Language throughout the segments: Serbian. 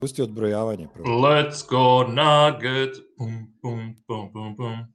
Pusti odbrojavanje. Prvo. Let's go Nugget. Pum, pum, pum, pum, pum.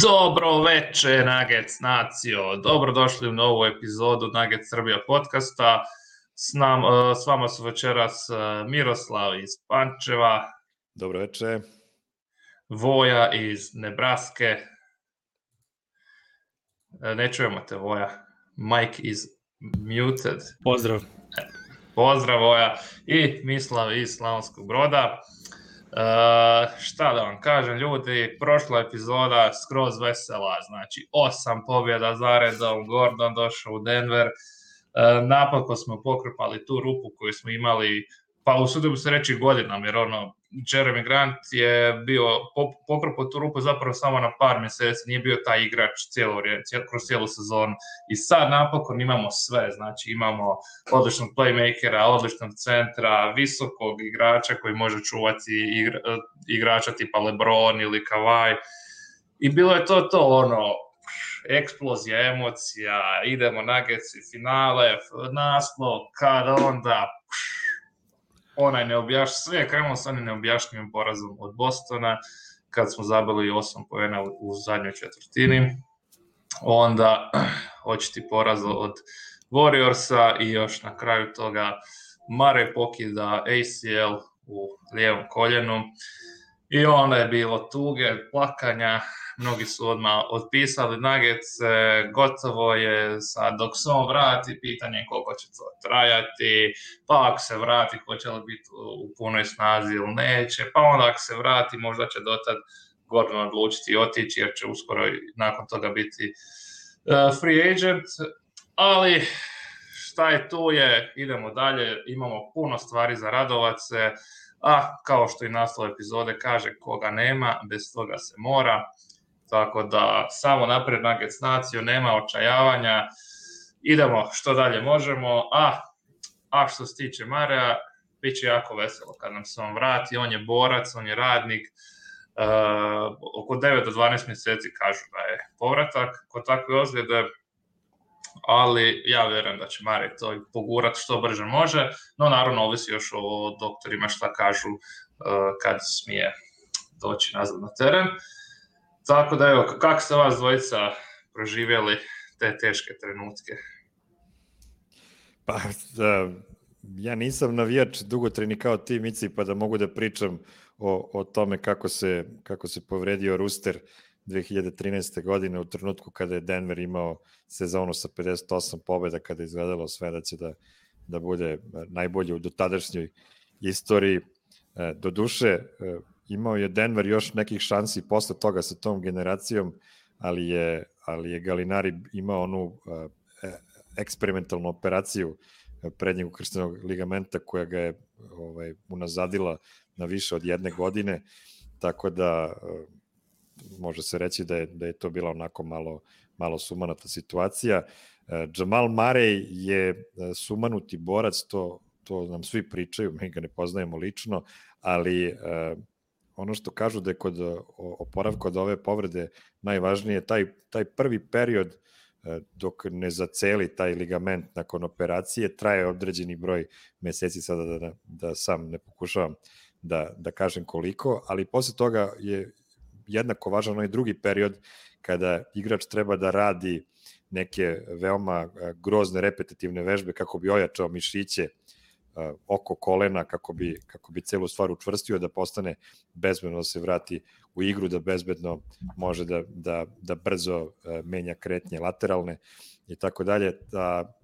Dobro veče, Nuggets nacijo. Dobrodošli u novu epizodu Nuggets Srbija podcasta. S vama su večeras Miroslav iz Pančeva. Dobro veče. Voja iz Nebraske. Ne čujemo te, Voja. Mike is muted. Pozdrav. Pozdrav, Voja. I Mislav iz Slavonskog Broda. Šta da vam kažem, ljudi, prošla epizoda skroz vesela, znači 8 pobjeda zaredom, Gordon došao u Denver, napako smo pokrpali tu rupu koju smo imali, pa usudio bi se reći godinama, jer Jeremy Grant je bio pokrpao tu rupu zapravo samo na par mjeseci, nije bio taj igrač kroz cijelu sezonu i sad napokon imamo sve, znači imamo odličnog playmakera, odličnog centra, visokog igrača koji može čuvati igrača tipa LeBron ili Kawhi i bilo je to eksplozija emocija, idemo Nuggets i finale, naslov, kad onda sve je krenulo sa onim neobjašnjivim porazom od Bostona, kad smo zabili 8 poena u zadnjoj četvrtini. Onda očiti poraz od Warriorsa i još na kraju toga Murray pokida ACL u lijevom koljenu. I onda je bilo tuge, plakanja, mnogi su odmah otpisali Nuggets, gotovo je, sad dok se on vrati, pitanje koliko će to trajati, pa ako se vrati, hoće li biti u punoj snazi ili neće, pa onda ako se vrati, možda će dotad Gordon odlučiti otići, jer će uskoro nakon toga biti free agent, ali šta je tu je, idemo dalje, imamo puno stvari za radovat se, a kao što i naslov epizode kaže, koga nema, bez toga se mora. Tako da samo naprijed Nuggets naciju, nema očajavanja, idemo što dalje možemo, a što se tiče Marea, bit će jako veselo kad nam se on vrati, on je borac, on je radnik, oko 9 do 12 mjeseci kažu da je povratak kod takve ozljede, ali ja vjerujem da će Marea to pogurati što brže može, no naravno ovisi još o doktorima šta kažu kad smije doći nazad na teren. Tako da evo, kako ste vas dvojica proživjeli te teške trenutke? Pa, ja nisam navijač dugotrajni kao ti, Mici, pa da mogu da pričam o tome kako se povredio Rooster 2013. godine u trenutku kada je Denver imao sezonu sa 58 pobjeda, kada je izgledalo sve da će da bude najbolje u dotadašnjoj istoriji. Doduše, imao je Denver još nekih šansi posle toga sa tom generacijom, ali je Gallinari imao onu eksperimentalnu operaciju prednjeg ukrštenog ligamenta koja ga je unazadila na više od 1 godine, tako da može se reći da je to bila onako malo sumanata situacija. Jamal Murray je sumanuti borac, to nam svi pričaju, mi ga ne poznajemo lično, ali ono što kažu da je kod oporavka od ove povrede najvažnije taj prvi period dok ne zaceli taj ligament nakon operacije, traje određeni broj meseci, sada da sam ne pokušavam da kažem koliko, ali posle toga je jednako važan onaj drugi period kada igrač treba da radi neke veoma grozne repetitivne vežbe kako bi ojačao mišiće oko kolena, kako bi celu stvar učvrstio, da postane bezbedno, da se vrati u igru, da bezbedno može da brzo menja kretnje lateralne i tako dalje.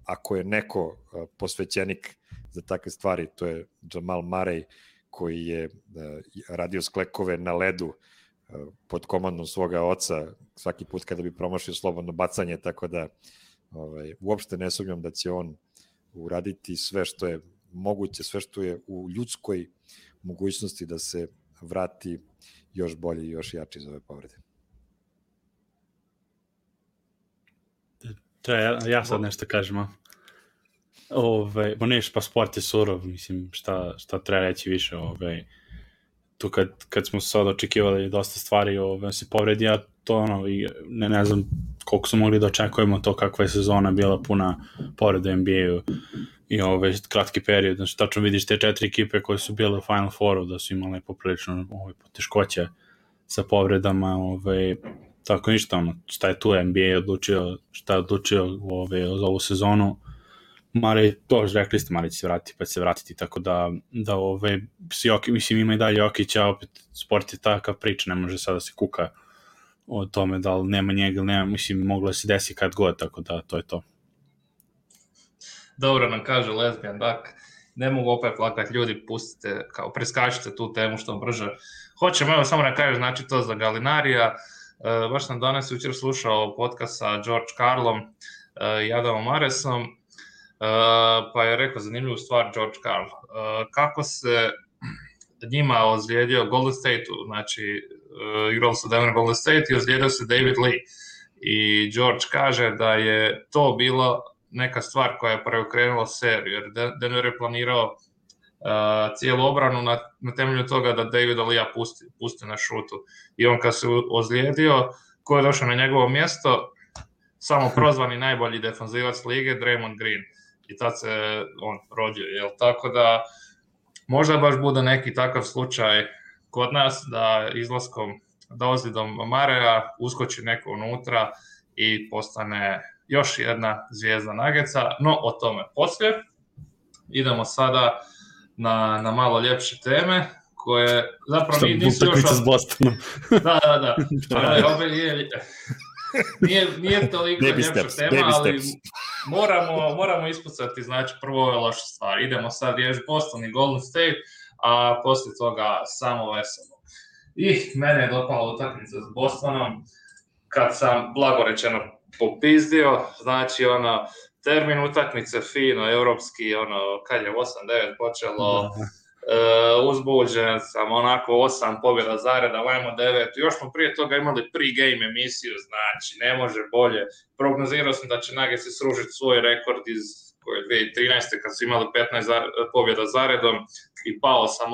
Ako je neko posvećenik za takve stvari, to je Jamal Murray, koji je radio sklekove na ledu pod komandom svoga oca svaki put kada bi promašio slobodno bacanje, tako da uopšte ne sumnjam da će on uraditi sve što je moguće, sve što je u ljudskoj mogućnosti vrati još bolji i još jači iz ove povrede. Ja sad nešto kažem, pa sport je surov, mislim, šta treba reći više, tu kad smo sad očekivali dosta stvari, se povredi, ja to i ne znam koliko su mogli da očekujemo to kakva je sezona bila puna povreda u NBA-u i kratki period, znači tačno vidiš te 4 ekipe koje su bile u Final Fouru da su imale poprilično poteškoće sa povredama, tako ništa, šta je tu NBA odlučio, šta je odlučio za ovu sezonu. Mare, to rekli ste, Mare će se vratiti, pa će se vratiti, tako da mislim, ima i dalje Jokić, a opet sport je takav priča, ne može sada se kuka o tome da li nema njega ili nema, mislim, moglo se desi kad god, tako da to je to. Dobro nam kaže Lesbian Duck, ne mogu opet plakati, ljudi, pustite, kao preskačite tu temu što brže. Hoćemo, evo samo da kažem, znači to za Galinarija, baš sam danas jučer slušao podcast sa George Karlom i Adamom Maresom, pa je rekao zanimljivu stvar George Karl. Kako se njima ozlijedio Golden State-u, znači igrali su Denver Golden State i ozlijedio se David Lee. I George kaže da je to bila neka stvar koja je preokrenula seriju, jer Denver je planirao cijelu obranu na temelju toga da Davida Lee pusti na šutu. I on kad se ozlijedio, ko je došao na njegovo mjesto, samo prozvani najbolji defanzivac lige, Draymond Green. I tad se on rodio, jel? Tako da možda baš bude neki takav slučaj kod nas da izlaskom, da ozljedom Marea uskoči neko unutra i postane još jedna zvijezda Nuggetsa, no o tome poslije. Idemo sada na malo ljepše teme koje zapravo nisu još... s Bostonom. Da. Nije toliko ljepša tema, ali moramo ispucati, znači prvo ove loše stvari. Idemo sad riješiti Boston i Golden State, a poslije toga samo veselo. I mene je dopala utakmica s Bostonom, kad sam blagorečeno popizdio, znači termin utakmice fino, europski, kad je 8-9 počelo, uzbuđen sam, 8 pobjeda zareda, ajmo 9, još smo prije toga imali pre-game emisiju, znači ne može bolje. Prognozirao sam da će Nuggets srušiti svoj rekord iz 2013. kad su imali 15 pobjeda zaredom i pao sam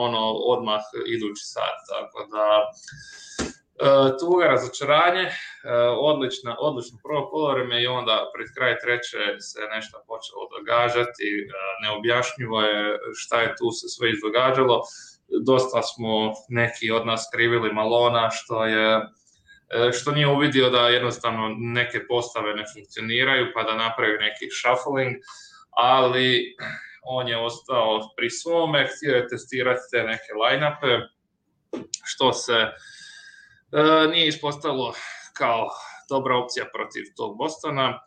odmah idući sat, tako da tuga, razočaranje, odlično prvo poluvreme i onda pred kraj treće se nešto počelo događati, neobjašnjivo je šta je tu se sve izdogađalo, dosta smo neki od nas krivili Malona što nije uvidio da jednostavno neke postave ne funkcioniraju pa da napravi neki shuffling, ali on je ostao pri svome, htio je testirati te neke line-upe, što se nije ispostavilo kao dobra opcija protiv tog Bostona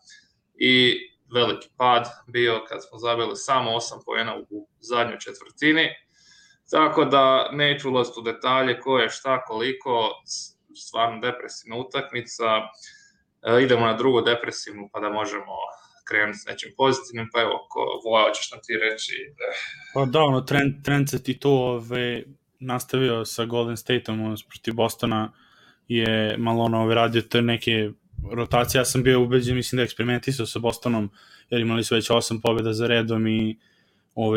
i veliki pad bio kad smo zabili samo 8 poena u zadnjoj četvrtini, tako da neću ulaziti u detalje ko je šta, koliko, stvarno depresivna utakmica. Idemo na drugu depresivnu pa da možemo krenuti s nečim pozitivnim, pa evo, Voja, hoćeš nam ti reći? Pa da, trend se ti to nastavio sa Golden State-om protiv Bostona, je malo radio te neke rotacije. Ja sam bio ubeđen, mislim da eksperimentisao sa Bostonom, jer imali su već 8 pobjeda za redom i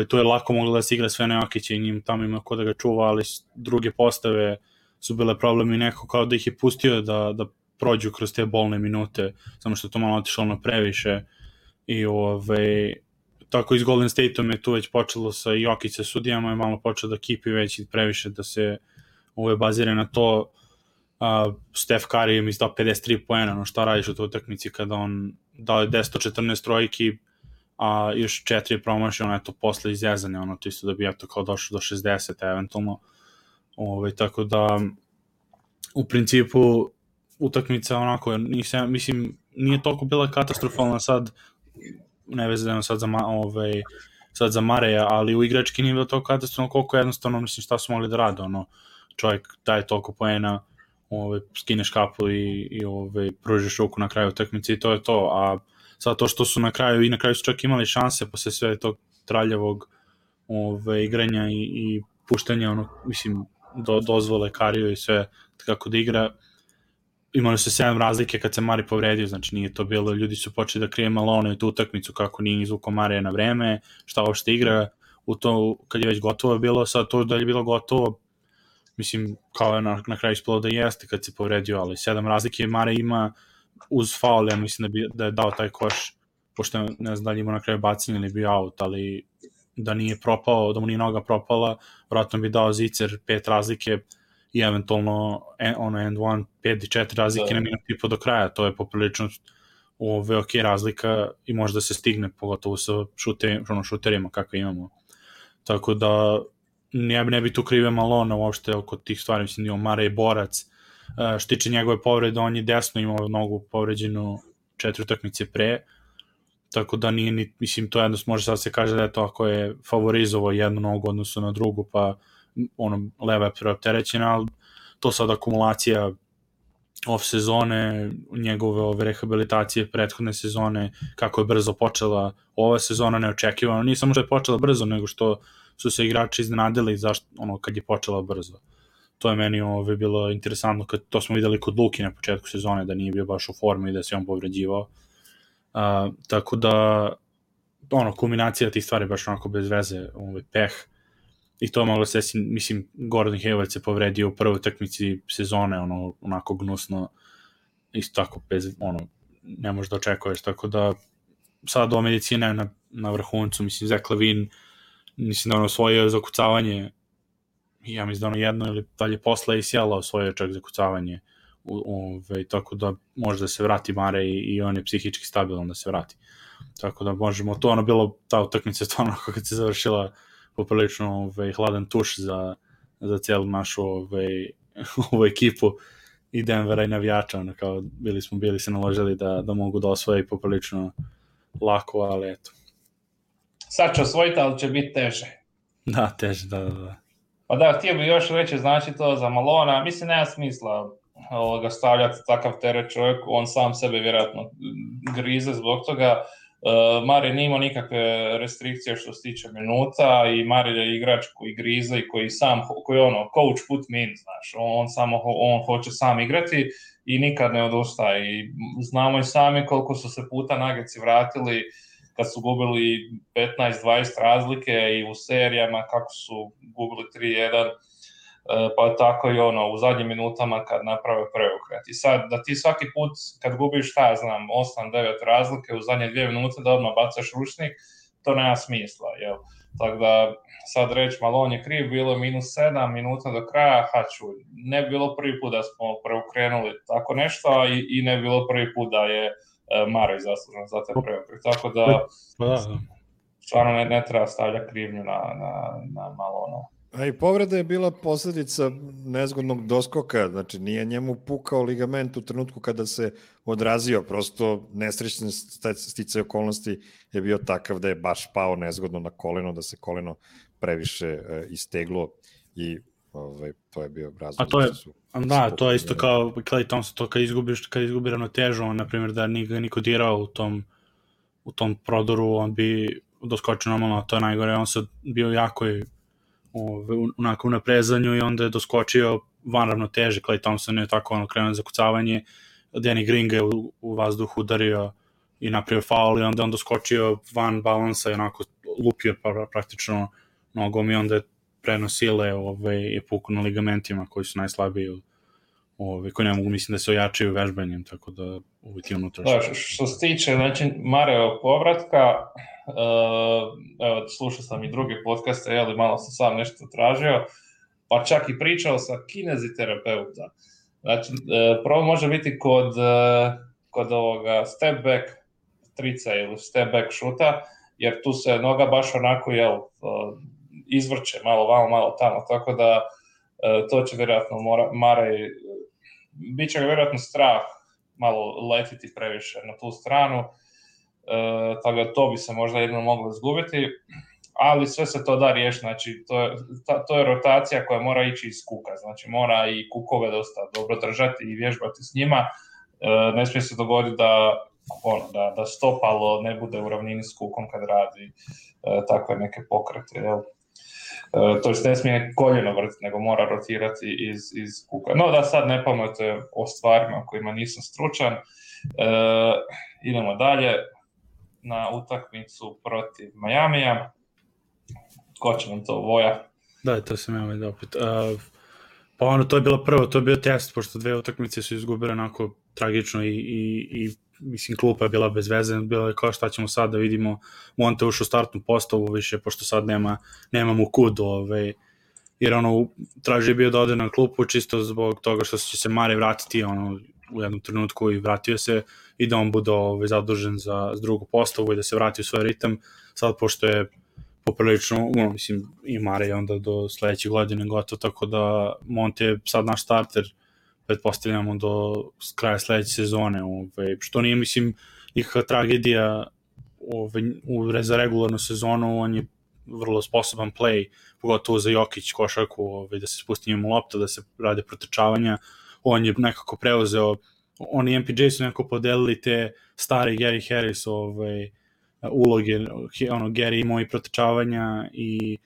to je lako moglo da se igra sve na Jokića i njim tamo ima ko da ga čuva, ali druge postave su bile problem i neko kao da ih je pustio da prođu kroz te bolne minute, samo što to malo otišlo na previše i tako i s Golden State-om je tu već počelo sa Jokić sa sudijama, je malo počelo da kipi već i previše da se bazira na to. Steph Curry je izdao 53 poena, šta radiš u toj utakmici kada on dao je 10-14 trojki, a još 4 je promašio, posle izjezane, to isto da bi kao došlo do 60 eventualno, tako da u principu utakmica mislim, nije toliko bila katastrofalna sad, ne vezano sad za Mareja, ali u igrački nije bilo toliko katastrofalno koliko jednostavno, mislim, šta su mogli da rade, čovjek daje toliko poena, skineš kapu i pružiš ruku na kraju utakmice i to je to, a sad to što su na kraju su čak imali šanse posle sve tog traljavog igranja i puštanja, mislim, dozvole Kariju i sve kako da igra. Imali su 7 razlike kad se Mari povredio, znači nije to bilo, ljudi su počeli da krije Malone u tu utakmicu kako nije izvukao Marija na vreme, šta uopšte igra u to kad je već gotovo bilo, sad to da je bilo gotovo, mislim kao je na kraju ispalo da jeste kad se povredio, ali 7 razlike Marija ima uz faul, ja mislim da je dao taj koš, pošto ne znam da li ima na kraju bacanje ili bio out, ali da nije propao, da mu nije noga propala, vratno bi dao zicer 5 razlike i eventualno end one 5-4 razlike na minut i po do kraja, to je poprilično ok razlika i može da se stigne, pogotovo sa šuterima kakve imamo. Tako da ne bi tu krivio Malone uopšte oko tih stvari, mislim, Mare je borac, što tiče njegove povrede, on je desno imao nogu povređenu 4 utakmice pre, tako da nije ni, mislim, to jedno može sad se kaže da je to ako je favorizovao jednu nogu odnosu na drugu, pa leva je preopterećena, ali to sad akumulacija off sezone, njegove rehabilitacije prethodne sezone, kako je brzo počela ova sezona neočekivano, nije samo što je počela brzo, nego što su se igrači iznenadili kad je počela brzo. To je meni bilo interesantno, to smo videli kod Luki na početku sezone, da nije bio baš u formi i da se on povređivao. Tako da kulminacija tih stvari baš onako bez veze, peh, i to moglo se, mislim, Gordon Hayward se povredio u prvoj utakmici sezone, onako gnusno, isto tako, ne možeš da očekuješ, tako da sad ova medicina je na vrhuncu, mislim, Zach LaVine, mislim da osvojio zakucavanje, ja mislim da jedno ili dalje posle ACL-a osvojio čak zakucavanje, tako da može da se vrati Mare i on je psihički stabilan da se vrati, tako da možemo, to bilo, ta utakmica je to kad se završila poprilično hladan tuš za cijelu našu ovu ekipu i Denvera i navijača, kao bili se naložili da mogu da osvoje poprilično lako, ali eto. Sad će osvojiti, ali će biti teže. Da, teže, da. Pa da, htio bi još reći, znači to za Malona, mislim nema smisla ga stavljati takav teret čovjek, on sam sebe vjerojatno grize zbog toga. Mare nije imao nikakve restrikcije što se tiče minuta i Mare je igrač koji grize i koji coach put me in, znaš, on hoće sam igrati i nikad ne odustaje i znamo i sami koliko su se puta Nuggets vratili kad su gubili 15-20 razlike i u serijama kako su gubili 3-1, pa tako i u zadnjim minutama kad naprave preokret. I sad, da ti svaki put kad gubiš, 8-9 razlike u zadnje 2 minute da odmah bacaš ručnik, to nema smisla, jel? Tako da, sad reći Malone je kriv, bilo je -7 minuta do kraja, ne bi bilo prvi put da smo preokrenuli tako nešto i ne bi bilo prvi put da je Mare zaslužan za te preokret. Tako da, stvarno ne treba stavljati krivnju na Malone. A i povreda je bila posljedica nezgodnog doskoka, znači nije njemu pukao ligament u trenutku kada se odrazio, prosto nesrećni sticaj okolnosti je bio takav da je baš pao nezgodno na koleno, da se koleno previše isteglo i to je bio razlog. To je isto kao Klay Thompson, to kad izgubi ravnotežu, on, na primjer, da nije ga niko dirao u tom prodoru, on bi doskočio normalno, to je najgore, on sad bio jako onako u naprezanju i onda je doskočio van ravnoteže. Klay Thompson je tako krenuo za kucavanje, Danny Green ga u vazduhu udario i napravio faul i onda on doskočio van balansa i onako lupio praktično nogom i onda je prenosile i puku na ligamentima koji su najslabiji, koji ne mogu, mislim, da se ojačaju vežbanjem, tako da uvijek je unutra. Da, što se tiče, znači, Mareo povratka, slušao sam i druge podcaste, malo sam sam nešto tražio, pa čak i pričao sa kineziterapeuta. Znači, prvo može biti kod ovoga step back trica ili step back šuta, jer tu se noga baš onako izvrće malo vamo, malo tamo, tako da to će vjerojatno bit će ga vjerojatno strah malo letiti previše na tu stranu, tako da to bi se možda jedno moglo izgubiti, ali sve se to da riješiti, znači to je rotacija koja mora ići iz kuka, znači mora i kukove dosta dobro držati i vježbati s njima, ne smije se dogoditi da stopalo ne bude u ravnini s kukom kad radi takve neke pokrete, jel? To ne smije koljeno vrtiti, nego mora rotirati iz kuka. No da sad ne pametuje o stvarima kojima nisam stručan. Idemo dalje na utakmicu protiv Majamija. Ko će nam to, Voja? Da, to sam ja da opet. Pa to je bilo prvo, to je bio test, pošto 2 utakmice su izgubile onako tragično i mislim, klupa je bila bez veze, bilo je kao šta ćemo sad da vidimo, Monte ušao u startnu postavu više, pošto sad nemamo kud, jer traži bio da ode na klupu čisto zbog toga što će se Mare vratiti u jednom trenutku i vratio se i da on bude zadužen za drugu postavu i da se vrati u svoj ritam, sad pošto je poprilično, mislim, i Mare je onda do sledeće godine gotovo, tako da Monte je sad naš starter, pretpostavljamo do kraja sledeće sezone, što nije, mislim, nikakva tragedija za regularnu sezonu, on je vrlo sposoban play, pogotovo za Jokić košarku, da se spusti njemu lopta, da se rade protrčavanja, on je nekako preuzeo, oni MPJ su nekako podelili te stare Gary Harris uloge, Gary imao i protrčavanja i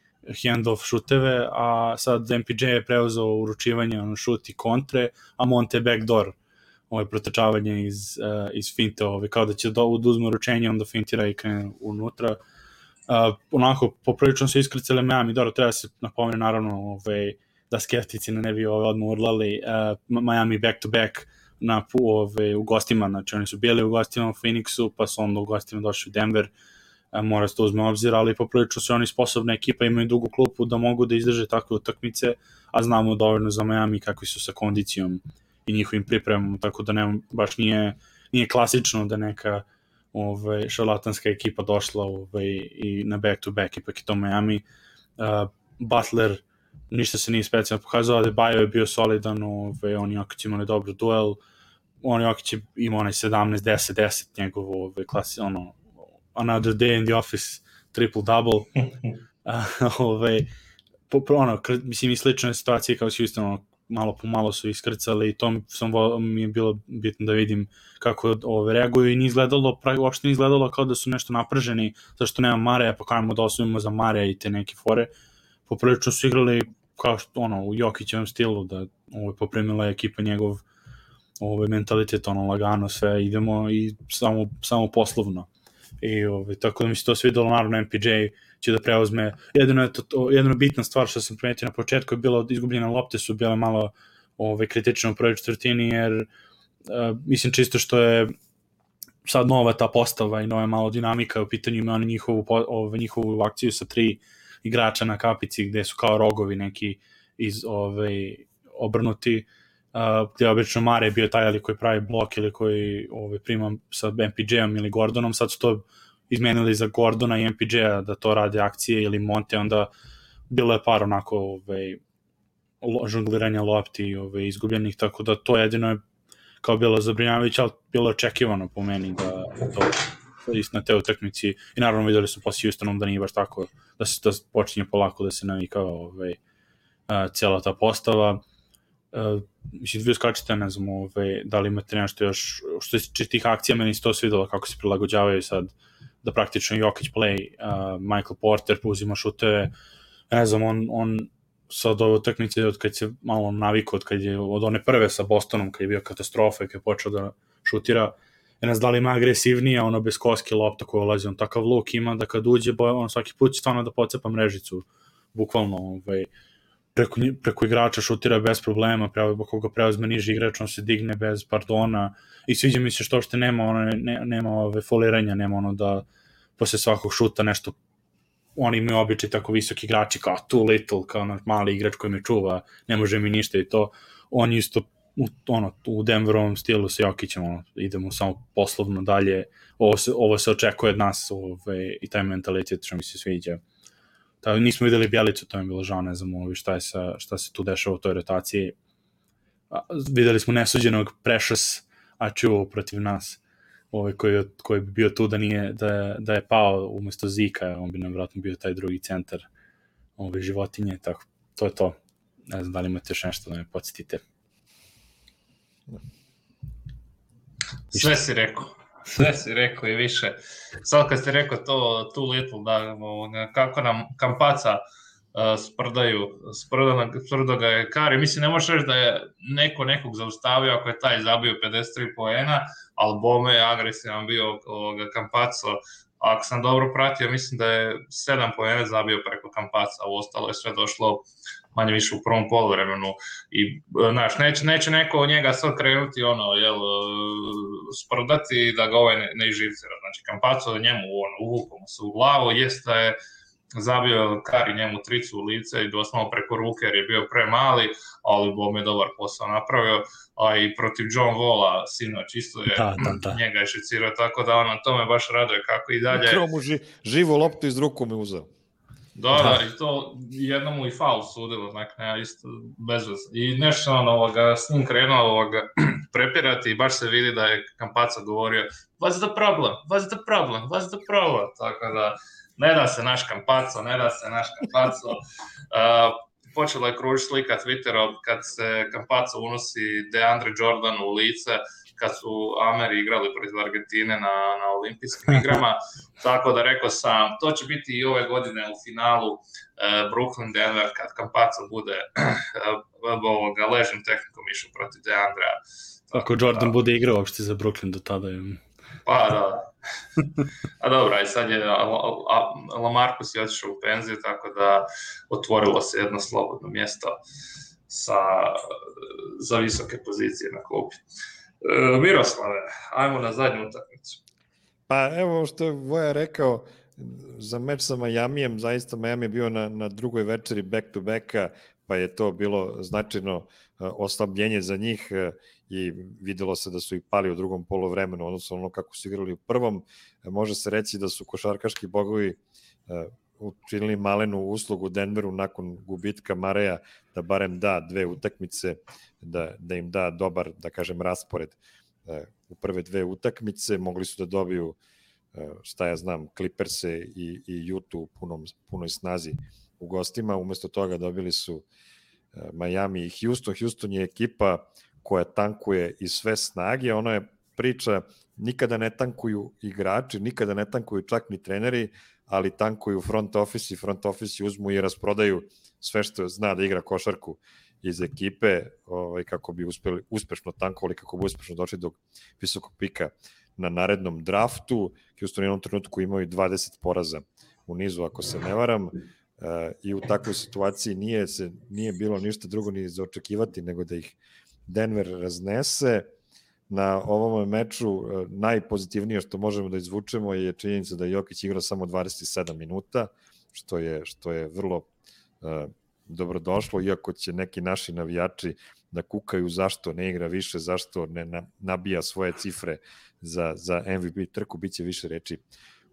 handoff šuteve, a sad MPJ je preuzeo uručivanje, šut i kontre, a Monte backdoor, protrčavanje iz finte, kao da će da uzme uručenje, onda fintira i krene unutra. Onako, poprilično su iskrcale Miami, dobro, treba se napomenu naravno da skeptici ne bi odmah urlali, Miami back-to-back u gostima, znači oni su bili u gostima u Phoenixu, pa su onda u gostima došli u Denver, mora se to uzme obzir, ali poprilično su oni sposobna ekipa, imaju dugu klupu da mogu da izdrže takve utakmice, a znamo dovoljno za Miami kakvi su sa kondicijom i njihovim pripremom, tako da baš nije klasično da neka šarlatanska ekipa došla i na back-to-back, ipak je to Miami. Butler ništa se nije specijalno pokazao, ali Bajo je bio solidan, on Jokić imali dobro duel, on Jokić ima onaj 17-10-10 njegov another day in the office triple-double. Mislim, i slične situacije kao su isto malo po malo su iskrcali i to mi je bilo bitno da vidim kako reaguju i uopšte nije izgledalo kao da su nešto naprženi, zašto nema Mareja, pa kajemo da osnovimo za Mareja i te neke fore. Poprilično su igrali kao što u Jokićevom stilu, da poprimila je ekipa njegov mentalitet, lagano sve, idemo i samo poslovno. I tako da mi se to svidelo, naravno MPJ će da preuzme, jedina bitna stvar što sam primetio na početku je bilo izgubljene lopte su bile malo kritično u prvoj četvrtini, jer mislim čisto što je sad nova ta postava i nova malo dinamika u pitanju, ima oni njihovu akciju sa 3 igrača na kapici gde su kao rogovi neki obrnuti, gde obično Mare je bio taj ali koji pravi blok ili koji prima sa MPJ-om ili Gordonom, sad su to izmenili za Gordona i MPJ-a da to rade akcije ili Monte, onda bilo je par onako žongliranja lopti izgubljenih, tako da to jedino je kao bilo zabrinjavajuće, ali bilo je očekivano po meni da to isto na te utakmici i naravno videli smo posle Houstonom da nije baš tako, da se to počinje polako da se navikava cijela ta postava. Mislim, vi uskačite, ne znam, da li imate nešto još, što se tih akcija, meni se to svidelo kako se prilagođavaju sad, da praktično Jokić play, Michael Porter uzima šuteve, ne znam, on sad ove utakmice, od kad se malo navikao, od one prve sa Bostonom, kad je bio katastrofa i kad je počeo da šutira, ne znam da li ima agresivnije, bez koske lopta koja ulazi, on takav luk ima da kad uđe, on svaki put će stvarno da pocepa mrežicu, bukvalno, preko igrača šutira bez problema, koga preuzme niži igrač, on se digne bez pardona i sviđa mi se što nema foliranja, nema da posle svakog šuta nešto, oni imaju običaj tako visoki igrači kao too little, kao mali igrač koji me čuva, ne može mi ništa i to, on isto u Denverovom stilu sa Jokićem, idemo samo poslovno dalje, ovo se očekuje od nas i taj mentalitet što mi se sviđa. Nismo videli Bjelicu, to je bilo žao, ne znam šta se tu dešava u toj rotaciji. Videli smo nesuđenog Precious Achiuwa protiv nas, koji bi bio tu da je pao umesto Zika, on bi nam vratno bio taj drugi centar životinje, tako, to je to. Ne znam da li imate još nešto da me podsjetite. Sve si rekao i više. Sad kad ste rekao to too little, da kako nam Kampaca sprda ga je Kari. Mislim, ne možeš reći da je neko nekog zaustavio ako je taj zabio 53 poena, ali bome je agresivan bio Campazzo. Ako sam dobro pratio, mislim da je 7 poena zabio preko Campazza, a ostalo je sve došlo manje više u prvom poluvremenu. I, znaš, neće neko od njega sad krenuti sprdati da ga ne izživcira. Znači, Campazzo njemu uvukao mu se u glavu, jest da je zabio Kari njemu tricu u lice i doslovno preko ruke jer je bio premali, ali bom je dobar posao napravio, a i protiv John Walla sinoć isto je njega je šicirao, tako da to me baš raduje kako i dalje. Ukro mu živu loptu iz ruku mi uzeo. Da, i to jednomu i faul sudilo, znači isto bez veze. I nešto s njim krenuo prepirati i baš se vidi da je Campazzo govorio what's the problem, tako da ne da se naš Campazzo. Počela je kružiti slika Twitterom kad se Campazzo unosi DeAndre Jordan u lice kad su Ameri igrali protiv Argentine na olimpijskim igrama, tako da rekao sam, to će biti i ove godine u finalu Brooklyn-Denver kad Campazzo bude ležnom tehnikom išao protiv DeAndrea. Ako Jordan bude igrao uopšte za Brooklyn do tada je... Pa da. A dobra, i sad je Lamarcus je otišao u penziju, tako da otvorilo se jedno slobodno mjesto za visoke pozicije na klupi. Miroslave, ajmo na zadnju utakmicu. Pa evo što je Voja rekao, za meč sa Majamijem, zaista Majami je bio na drugoj večeri back-to-backa, pa je to bilo značajno oslabljenje za njih i videlo se da su i pali u drugom poluvremenu, odnosno ono kako su igrali u prvom. Može se reći da su košarkaški bogovi učinili malenu uslugu Denveru nakon gubitka Mareja, da barem da dve utakmice, da im da dobar, da kažem, raspored u prve dve utakmice. Mogli su da dobiju, šta ja znam, Clippers-e i Utah u punoj snazi u gostima. Umesto toga dobili su Miami i Houston. Houston je ekipa koja tankuje iz sve snage. Ono je priča, nikada ne tankuju igrači, nikada ne tankuju čak ni treneri, ali tankuju front office i front office uzmu i rasprodaju sve što zna da igra košarku iz ekipe kako bi uspešno tankovali, kako bi uspešno došli do visokog pika na narednom draftu. Houston je u jednom trenutku imao i 20 poraza u nizu, ako se ne varam, i u takvoj situaciji nije bilo ništa drugo ni za očekivati nego da ih Denver raznese. Na ovom meču najpozitivnije što možemo da izvučemo je činjenica da je Jokić igrao samo 27 minuta, što je vrlo dobrodošlo, iako će neki naši navijači da kukaju zašto ne igra više, zašto ne nabija svoje cifre za MVP trku, bit će više reči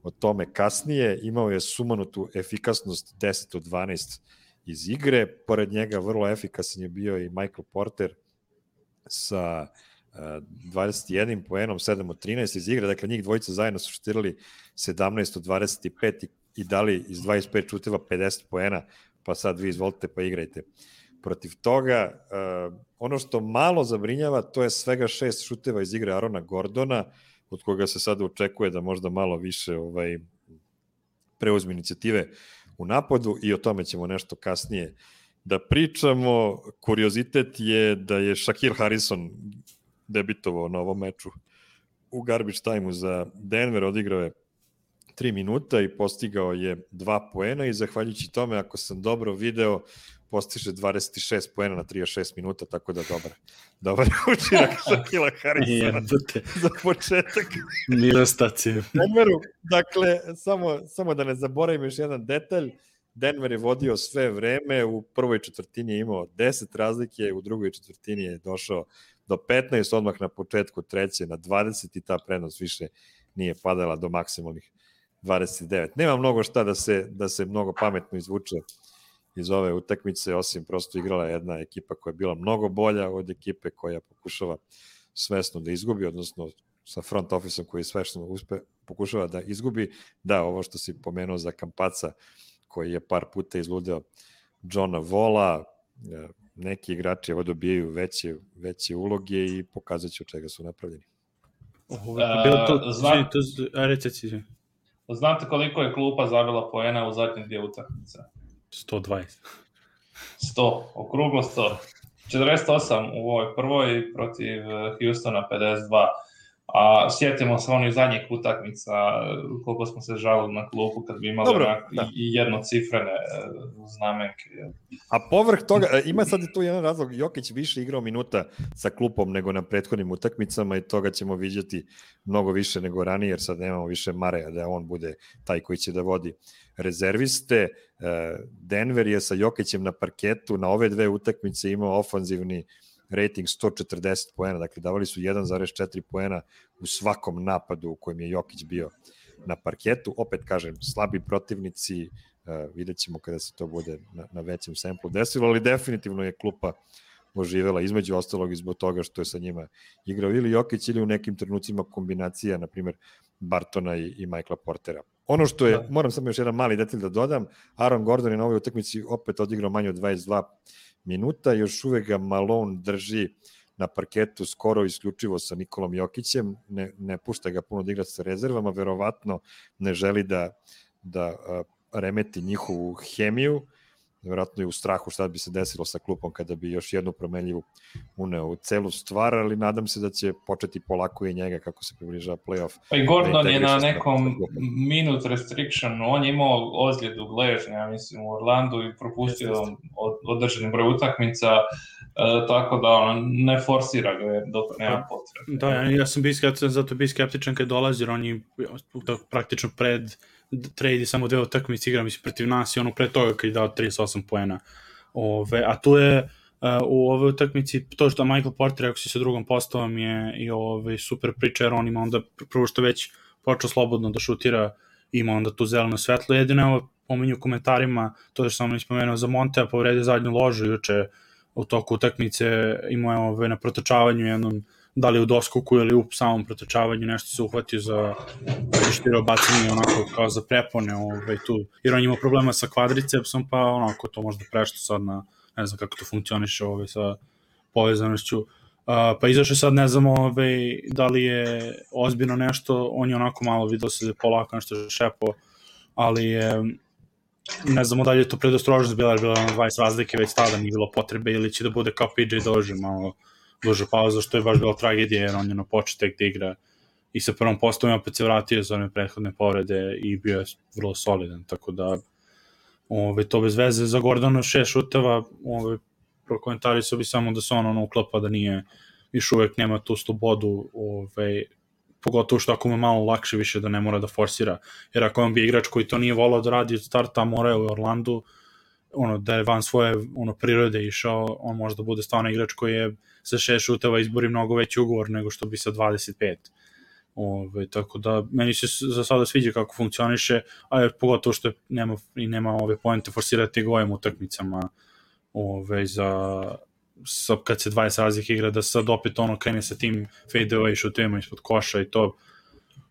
o tome kasnije. Imao je sumanutu efikasnost 10 od 12 iz igre, pored njega vrlo efikasan je bio i Michael Porter sa 21 poenom, 7 od 13 iz igre, dakle njih dvojica zajedno su šutirali 17 od 25 i dali iz 25 šuteva 50 poena, pa sad vi izvolite pa igrajte protiv toga. Ono što malo zabrinjava, to je svega 6 šuteva iz igre Arona Gordona, od koga se sada očekuje da možda malo više preuzme inicijative u napadu i o tome ćemo nešto kasnije da pričamo. Kuriozitet je da je Shaquille Harrison debitovao na ovom meču u garbage time-u za Denver, odigrao je 3 minuta i postigao je 2 poena i zahvaljujući tome, ako sam dobro video, postiže 26 poena na 36 minuta, tako da dobar učinak Shaquille Harrisona za početak. Mirostacije. Denveru, dakle, samo da ne zaboravim još jedan detalj, Denver je vodio sve vreme, u prvoj četvrtini je imao 10 razlike, u drugoj četvrtini je došao do 15, odmah na početku treće na 20 i ta prednost više nije padala do maksimalnih 29. Nema mnogo šta da se mnogo pametno izvuče iz ove utakmice, osim prosto igrala jedna ekipa koja je bila mnogo bolja od ekipe koja pokušava svesno da izgubi, odnosno sa front office-om koji svesno pokušava da izgubi. Da, ovo što si pomenuo za Campazza, koji je par puta izludeo Johna Walla, neki igrači evo dobijaju veće uloge i pokazat će od čega su napravljeni. Znate koliko je klupa zabila poena u zadnje dvije utakmice? 120. 100, okruglo 100. 48 u ovoj prvoj protiv Houstona 52. A sjetimo se onih zadnjih utakmica, koliko smo se žalili na klupu kad bi imali i jednocifrene znamenke. A povrh toga, ima sad tu jedan razlog, Jokić više igrao minuta sa klupom nego na prethodnim utakmicama i toga ćemo vidjeti mnogo više nego ranije, jer sad nemamo više Mareja da on bude taj koji će da vodi rezerviste. Denver je sa Jokićem na parketu na ove dve utakmice imao ofanzivni rating 140 poena, dakle davali su 1,4 poena u svakom napadu u kojem je Jokić bio na parketu. Opet kažem, slabi protivnici, vidjet ćemo kada se to bude na većem samplu desilo, ali definitivno je klupa oživela, između ostalog i zbog toga što je sa njima igrao ili Jokić ili u nekim trenucima kombinacija, na primjer Bartona i Michaela Portera. Ono što je, moram samo još jedan mali detalj da dodam, Aaron Gordon je na ovoj utakmici opet odigrao manje od 22 minuta, još uvek ga Malone drži na parketu skoro isključivo sa Nikolom Jokićem, ne pušta ga puno da igra sa rezervama, verovatno ne želi da remeti njihovu hemiju, verovatno je u strahu šta bi se desilo sa klupom kada bi još jednu promenljivu uneo u celu stvar, ali nadam se da će početi polako i njega kako se približava playoff. Pa i Gordon je na nekom minute restriction, on je imao ozljedu gležnja, ja mislim, u Orlandu i propustio održani broj utakmica, tako da on ne forsira ga dok nema potrebe. Da, ja sam zato bio skeptičan kad dolazi, jer on je praktično pred trade samo dve utakmice igra, mislim, protiv nas i ono pre toga kad je dao 38 poena. A tu je u ovoj utakmici, to što Michael Porter, ako si sa drugom postavom, je i super priča, jer on ima onda, prvo što već počeo slobodno da šutira, ima onda tu zeleno svetlo. Jedino evo pominju u komentarima, to što sam ispomenuo za Montea, povredio zadnju ložu juče u toku utakmice, imao je na protočavanju jednom, da li u doskoku ili u samom protočavanju, nešto se uhvatio za štiro bacanje onako kao za prepone tu, jer on ima problema sa kvadricepsom, pa onako to možda prešlo sad na, ne znam kako to funkcioniše sa povezanošću. Pa izašao sad, ne znam da li je ozbiljno nešto, on je onako malo vidio se polako nešto šepo, ali je, ne znamo da li je to predostrožnost bila, jer bila 20 razlike već tada, nije bilo potrebe, ili će da bude kao PJ Dozier, malo duže pauza, što je baš bila tragedija, jer on je na početek da igra i sa prvom postavom opet se vratio za one prethodne povrede i bio je vrlo solidan, tako da to bez veze. Za Gordona 6 šuteva, prokomentarisao bi samo da se on uklapa, da nije, još uvek nema tu slobodu, pogotovo što ako mu je malo lakše više da ne mora da forsira, jer ako on bi igrač koji to nije volao da radi od starta, mora je u Orlandu, da je van svoje prirode išao, on može da bude stvarno igrač koji je sa 6 šuteva izbori mnogo veći ugovor nego što bi sa 25. Tako da meni se za sada sviđa kako funkcioniše, a pogotovo što nema ove poente forsirati ga ovim utakmicama kad se 20 razlike igra, da sad opet krene sa tim fade away šutevima ispod koša i to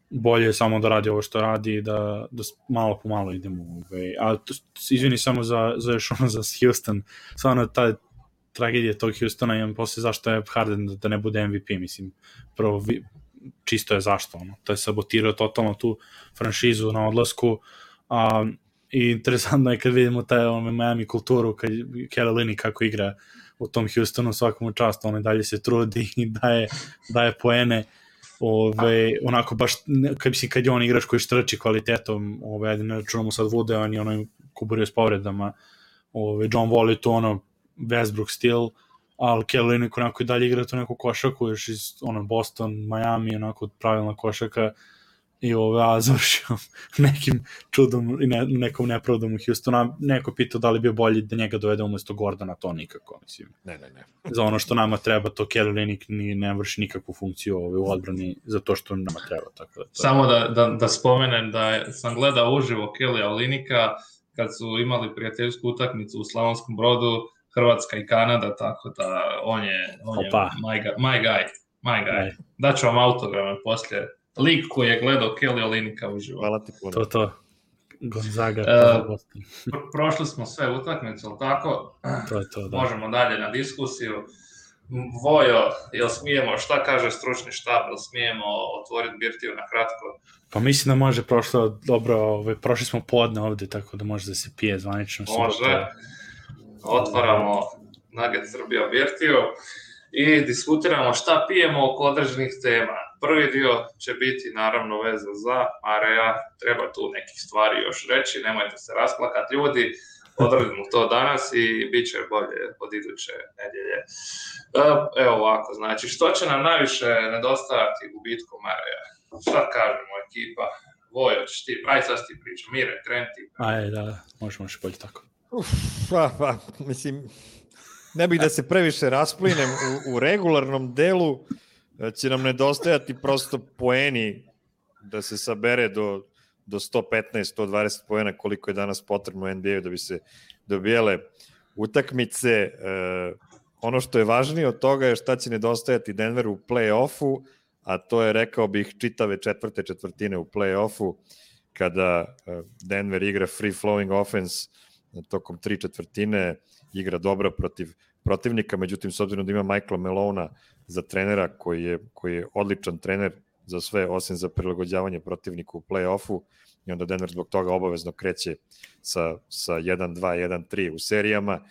bolje samo da radi ovo što radi, da malo po malo idemo. A izvini samo za Houston, stvarno ta tragedija tog Houstona, imam posle zašto je Harden da ne bude MVP, mislim, prvo čisto je zašto, to je sabotirao totalno tu franšizu na odlasku, i interesantno je kad vidimo taj Miami kulturu, kad Kelly Olynyk kako igra u tom Houstonu, svakom čast, on dalje se trudi i daje poene, onako baš, kad je on igrač koji štrči kvalitetom, ne računamo sad Vude, on je kuburio s povredama, John Wall je to Westbrook stil, ali Kelly Olynyk onako i dalje igra tu neku košaku, još iz Boston, Miami, onako pravilna košaka, i završio nekim čudom i nekom nepravdom u Houstonu. Neko pitao da li bio bolji da njega dovede umesto Gordona, to nikako, mislim. Ne. Za ono što nama treba, to Kelly Olynyk ne vrši nikakvu funkciju u odbrani za to što nama treba. Tako da to... Samo da spomenem da sam gledao uživo Kelly Olynyka kad su imali prijateljsku utakmicu u Slavonskom Brodu, Hrvatska i Kanada, tako da on je my guy. Daću vam autograme poslije. Lik koji je gledao Kelly Olynyka uživo. Hvala ti puno. To. Gonzaga. Prošli smo sve utakmice, ali tako? To je to, da. Možemo dalje na diskusiju. Vojo, jel smijemo, šta kaže stručni štab, jel smijemo otvoriti birtiju na kratko? Pa mislim da može, prošli smo podne ovde, tako da može da se pije zvanično. Može, otvaramo Nugget Srbija birtiju i diskutiramo šta pijemo oko određenih tema. Prvi dio će biti naravno vezan za Mareja, treba tu nekih stvari još reći, nemojte se rasplakati ljudi, odradimo to danas i bit će bolje od iduće nedjelje. Evo ovako, znači što će nam najviše nedostajati u bitku Mareja? Šta kažemo ekipa? Vojo, ćeš ti, aj sad ti priča, Mire, kreni ti. Aj, da, možemo još bolje tako. Mislim, ne bih da se previše rasplinem u regularnom delu, će nam nedostajati prosto poeni da se sabere do 115-120 poena koliko je danas potrebno u NBA-u da bi se dobijale utakmice. Ono što je važnije od toga je šta će nedostajati Denveru u play-offu, a to je, rekao bih, čitave četvrte četvrtine u play-offu, kada Denver igra free-flowing offense tokom 3 četvrtine, igra dobro protiv protivnika, međutim, s obzirom da ima Michaela Malona za trenera koji je odličan trener za sve, osim za prilagođavanje protivniku u play-offu, i onda Denver zbog toga obavezno kreće sa 1-2, 1-3 u serijama,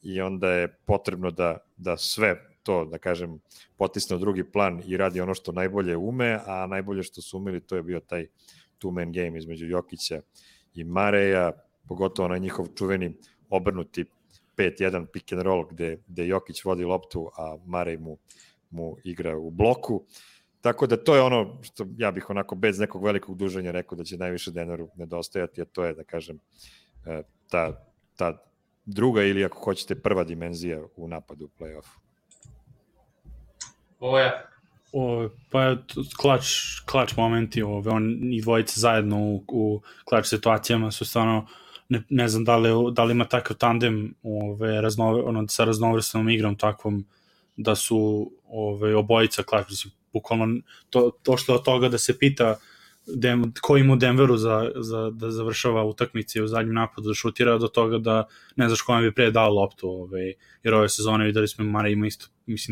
i onda je potrebno da sve to, da kažem, potisne u drugi plan i radi ono što najbolje ume, a najbolje što su umeli to je bio taj two-man game između Jokića i Mareja, pogotovo na njihov čuveni obrnuti 5-1 pick and roll gde Jokić vodi loptu, a Marej mu igra u bloku. Tako da to je ono što ja bih onako bez nekog velikog duženja rekao da će najviše Denveru nedostajati, a to je, da kažem, ta druga ili, ako hoćete, prva dimenzija u napadu u play-offu. Pa klač momenti, i dvojice zajedno u klač situacijama su stvarno, ne znam da li ima takav tandem sa raznovrsnom igrom takvom da su obojica klač, bukvalno to što od toga da se pita ko ima u Denveru da završava utakmice u zadnjem napadu, da šutira, do toga da ne znaš kome bi pre dao loptu, jer ove sezone videli smo Mare ima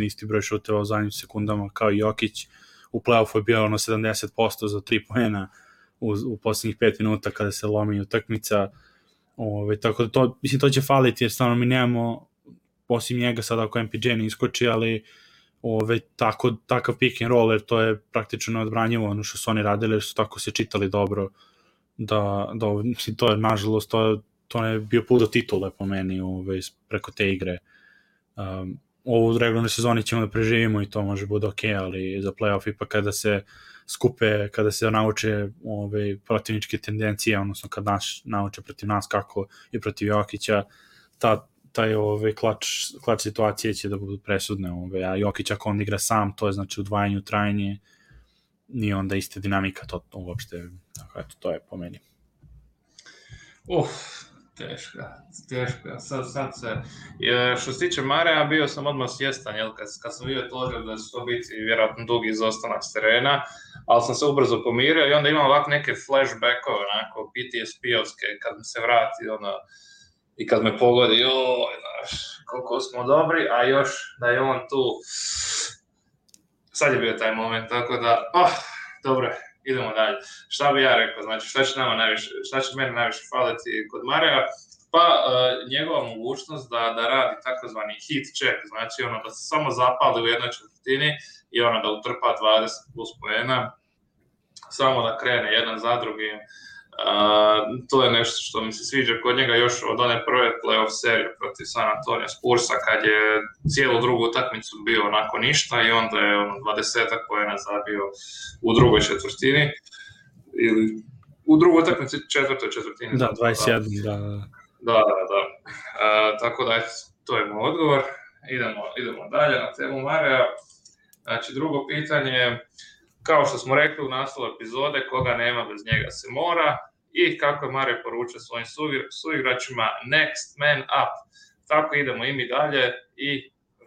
isti broj šuteva u zadnjim sekundama kao i Jokić, u play-offu je bio 70% za 3 poena u poslednjih 5 minuta kada se lomi utakmica, tako da to će faliti, jer stvarno mi nemamo, osim njega sada ako MPJ ne iskoči, ali takav pick and roll, jer to je praktično neodbranjivo ono što su oni radili, jer su tako se čitali dobro, da to je, nažalost, to je bio put do titule po meni preko te igre. Ovu regularnoj sezoni ćemo da preživimo i to može bude ok, ali za playoff ipak kada se skupe, kada se nauče protivničke tendencije, odnosno kad nauče protiv nas kako je protiv Jokića, taj klač situacije će da budu presudne, a Jokić ako on igra sam, to je znači udvajanje u trajanje, nije onda iste dinamika, to uopšte, tako eto, to je po meni. Teško. Sad se, što se tiče Mareja, bio sam odmah svjestan, kad sam vidio to da će to biti vjerojatno dugi izostanak s terena, ali sam se ubrzo pomirio i onda imam ovako neke flashbackove, onako PTSP-ovske, kad mi se vrati, i kad me pogodi, znaš, koliko smo dobri, a još da je on tu, sad je bio taj moment, tako da, dobro, idemo dalje. Šta bi ja rekao, znači šta će meni najviše faliti kod Mareja? Pa njegova mogućnost da radi takozvani hit check, znači da se samo zapali u jednoj četvrtini i da utrpa 20 plus poena, samo da krene jedan za drugim. To je nešto što mi se sviđa kod njega još od one prve playoff serije protiv San Antonio Spursa, kad je cijelu drugu utakmicu bio onako ništa i onda je 20 poena zabio u drugoj četvrtini ili u drugoj utakmici četvrtoj četvrtini. Da, 21, da. Tako da to je moj odgovor. Idemo dalje na temu Mareja. Znači, drugo pitanje, kao što smo rekli u naslovu epizode, koga nema bez njega se mora, i kako je Marej poručio svojim suigračima, next man up. Tako idemo i mi dalje i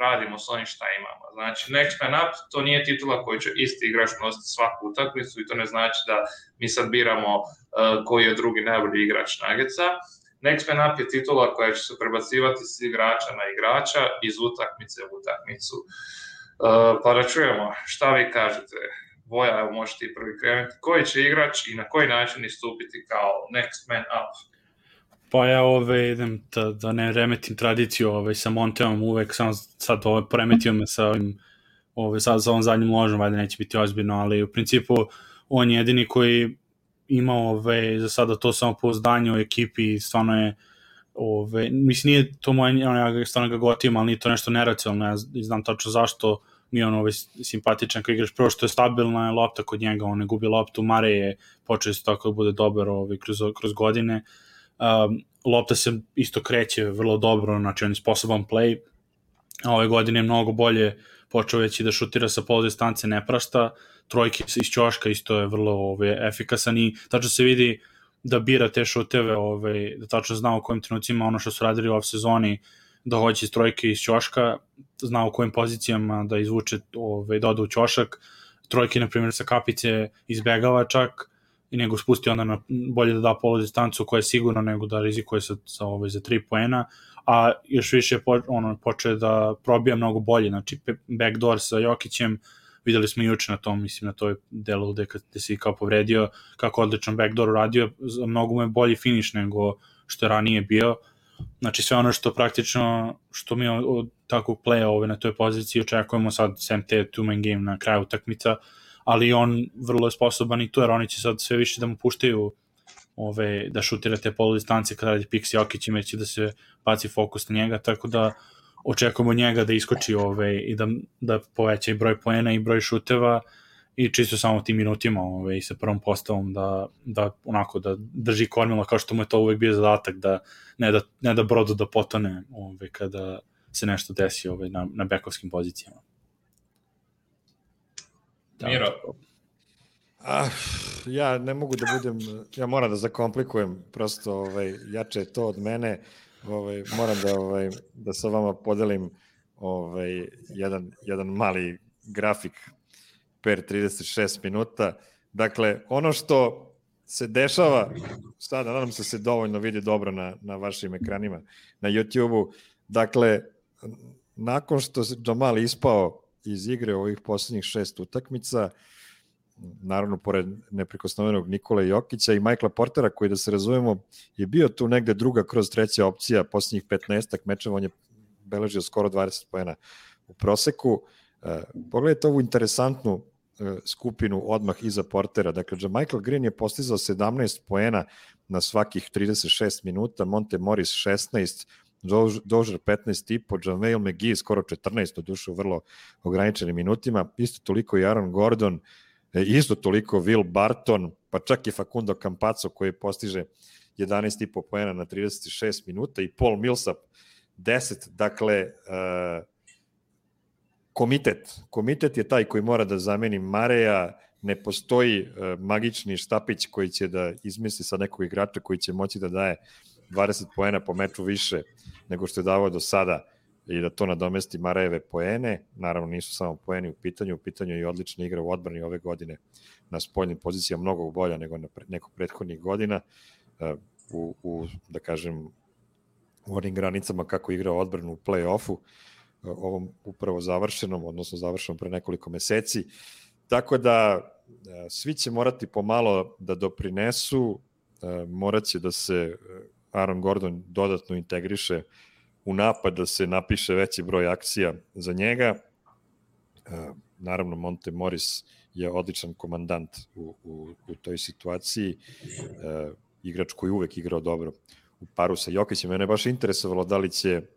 radimo s onim šta imamo. Znači, next man up, to nije titula koju će isti igrač nositi svaku utakmicu i to ne znači da mi sad biramo koji je drugi najbolji igrač Nuggetsa. Next man up je titula koja će se prebacivati s igrača na igrača iz utakmice u utakmicu. Pa da čujemo, šta vi kažete? Voja, evo možete i prvi krenuti. Koji će igrač i na koji način istupiti kao next man up? Pa ja idem da ne remetim tradiciju sa Monteom, uvek sam sad poremetio me sa ovim sad sa ovom zadnjim ložom, valjda neće biti ozbiljno, ali u principu on je jedini koji ima za sada to samopouzdanje u ekipi i stvarno je mislim nije to moje, ja stvarno ga gotivim, ali nije to nešto neracionalno, ja znam tačno zašto mi je on simpatičan kao igrač, prvo što je stabilna lopta kod njega, on ne gubi loptu, Mare je počeo isto tako da bude dobar kroz godine, lopta se isto kreće vrlo dobro, znači on je sposoban play, a ove godine je mnogo bolje počeo već i da šutira sa pol distance, ne prašta, trojke iz ćoška isto je vrlo efikasan i tačno se vidi da bira te šuteve, da tačno zna u kojim trenucima ono što su radili u off sezoni, da hoće iz trojke iz ćoška, zna u kojim pozicijama da izvuče, da ode u ćošak, trojke, na primjer, sa kapice izbegava čak, i nego spusti onda bolje da da polu distancu koja je sigurno nego da rizikuje za 3 poena, a još više počeo da probija mnogo bolje, znači backdoor sa Jokićem, videli smo juče na tom, mislim na toj delu gde si kao povredio, kako odličan backdoor uradio, mnogo mu je bolji finish nego što je ranije bio, znači sve ono što praktično, što mi od takvog playa na toj poziciji očekujemo sad, sem te two-man game na kraju utakmica, ali on vrlo je sposoban i to, jer oni će sad sve više da mu puštaju da šutira te polu distance kada radi Pixi Jokić, imajući da se baci fokus na njega, tako da očekujemo njega da iskoči i da poveća i broj poena i broj šuteva i čisto samo tim minutima i sa prvom postavom da onako da drži kormilo kao što mu je to uvek bio zadatak, da ne da brodu da potone kada se nešto desi na bekovskim pozicijama. Miro. Ja ne mogu da budem, ja moram da zakomplikujem, prosto jače je to od mene, moram da sa vama podelim jedan mali grafik per 36 minuta. Dakle, ono što se dešava, sada nadam se dovoljno vidi dobro na vašim ekranima na YouTube-u, dakle, nakon što se Jamal ispao iz igre ovih poslednjih 6 utakmica, naravno pored neprikosnovenog Nikole Jokića i Michaela Portera, koji, da se razumemo, je bio tu negde druga kroz treća opcija, poslednjih 15 mečeva on je beležio skoro 20 poena u proseku. Pogledajte ovu interesantnu skupinu odmah iza Portera. Dakle, Michael Green je postizao 17 poena na svakih 36 minuta, Monte Morris 16, Dozier 15,5, JaVale McGee skoro 14, do duše u vrlo ograničenim minutima, isto toliko i Aaron Gordon, isto toliko Will Barton, pa čak i Facundo Campazzo koji postiže 11,5 poena na 36 minuta i Paul Millsap 10, dakle komitet je taj koji mora da zameni Mareja, ne postoji magični štapić koji će da izmisli sa nekog igrača koji će moći da daje 20 poena po meču više nego što je davao do sada i da to nadomesti Marejeve poene. Naravno nisu samo poeni u pitanju je i odlična igra u odbrani ove godine na spoljnim pozicijama, mnogo bolja nego na nekog prethodnih godina, da kažem, u onim granicama kako igra odbranu u play-offu, ovom upravo završenom, odnosno završenom pre nekoliko meseci. Tako da svi će morati pomalo da doprinesu, morat će da se Aaron Gordon dodatno integriše u napad, da se napiše veći broj akcija za njega. Naravno, Monte Morris je odličan komandant u toj situaciji, igrač koji uvek igrao dobro u paru sa Jokićem. Mene je baš interesovalo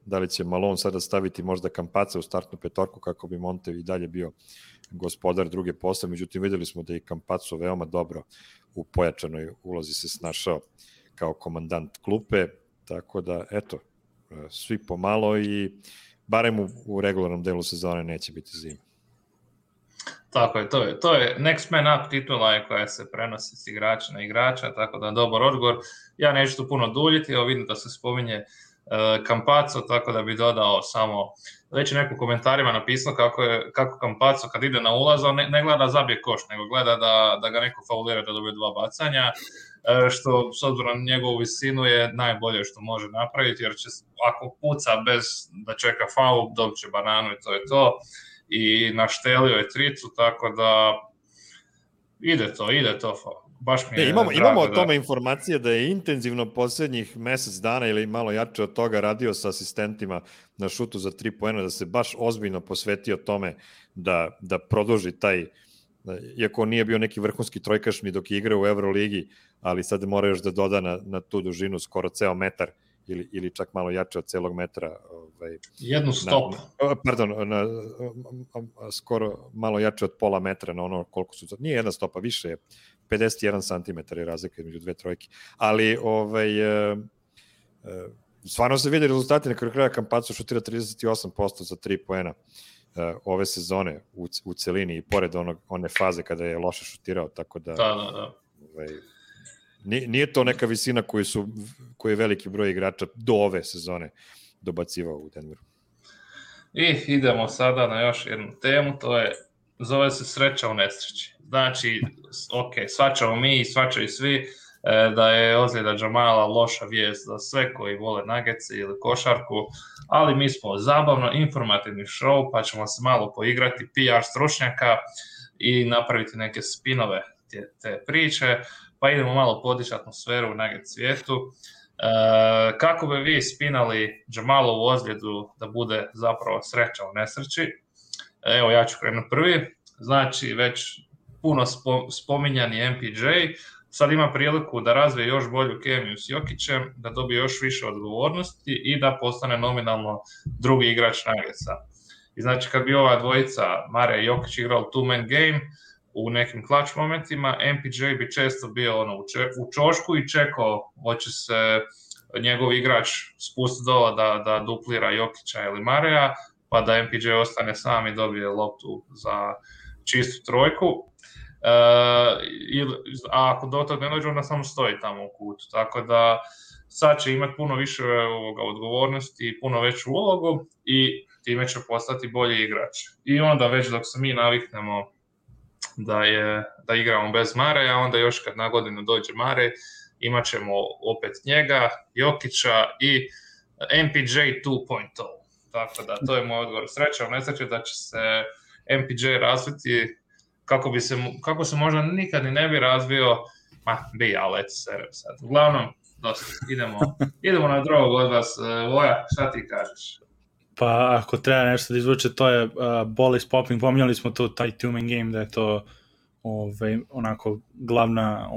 da li će Malone sada staviti možda Campazza u startnu petorku kako bi Monte i dalje bio gospodar druge postave, međutim videli smo da je Campazzo veoma dobro u pojačanoj ulozi se snašao kao komandant klupe, tako da eto, svi pomalo i barem u regularnom delu sezone neće biti zima. Tako je, to je next man up titula koja se prenosi s igrača na igrača, tako da dobar odgovor. Ja neću tu puno duljiti, evo vidim da se spominje Campazzo, tako da bi dodao samo, već je neko u komentarima napisao kako Campazzo kad ide na ulaz, on ne gleda da zabije koš, nego gleda da ga neko faulira da dobije 2 bacanja, što s obzirom na njegovu visinu je najbolje što može napraviti, jer će, ako puca bez da čeka faul, dobit će bananu i to je to. I naštelio je tricu, tako da ide to. Baš mi je imamo o tome informacije da je intenzivno posljednjih mesec dana ili malo jače od toga radio sa asistentima na šutu za 3 poena, da se baš ozbiljno posvetio tome da produži taj, iako nije bio neki vrhunski trojkašni dok je igrao u Euroligi, ali sad mora još da doda na tu dužinu skoro ceo metar ili čak malo jače od celog metra. Jednu stopu. Skoro malo jače od pola metra na ono koliko su... Nije jedna stopa, više je 51 cm je razlika između 2 trojke. Ali stvarno se vidi rezultati, na kraju kraja Campazzo šutira 38% za 3 poena ove sezone u celini i pored one faze kada je loše šutirao, tako da... Da. Nije to neka visina koju je veliki broj igrača do ove sezone dobacivao u Denveru. I idemo sada na još jednu temu, zove se sreća u nesreći. Znači, shvaćamo mi i shvaćaju svi da je ozljeda Jamala loša vijest za sve koji vole Nuggetse ili košarku, ali mi smo zabavno informativni show, pa ćemo se malo poigrati PR stručnjaka i napraviti neke spinove te priče, pa idemo malo podići atmosferu u Nugget svijetu. Kako bi vi spinali Jamalovu ozljedu da bude zapravo sreća u nesreći? Evo, ja ću krenuti prvi. Znači, već puno spominjani MPJ sad ima priliku da razvije još bolju kemiju s Jokićem, da dobije još više odgovornosti i da postane nominalno drugi igrač Nuggetsa. I znači, kad bi ova dvojica, Mare i Jokić, igrali two-man game u nekim clutch momentima, MPJ bi često bio u čošku i čekao hoće se njegov igrač spustiti dola da duplira Jokića ili Mareja, pa da MPJ ostane sam i dobije loptu za čistu trojku. A ako do toga ne dođe, onda samo stoji tamo u kutu. Tako da sad će imati puno više odgovornosti i puno veću ulogu i time će postati bolji igrač. I onda već dok se mi naviknemo da igramo bez Mareja, onda još kad na godinu dođe Marej, imat ćemo opet njega, Jokića i MPJ 2.0. Tako da, to je moj odgovor. Sreća u nesreći da će se MPJ razviti kako se možda nikad ni ne bi razvio, ali eto serem sad. Uglavnom, dosta, idemo na drugog od vas. Voja, šta ti kažeš? Pa ako treba nešto da izvuče, to je ball is popping, pominjali smo to, taj two-man game, da je to onako glavna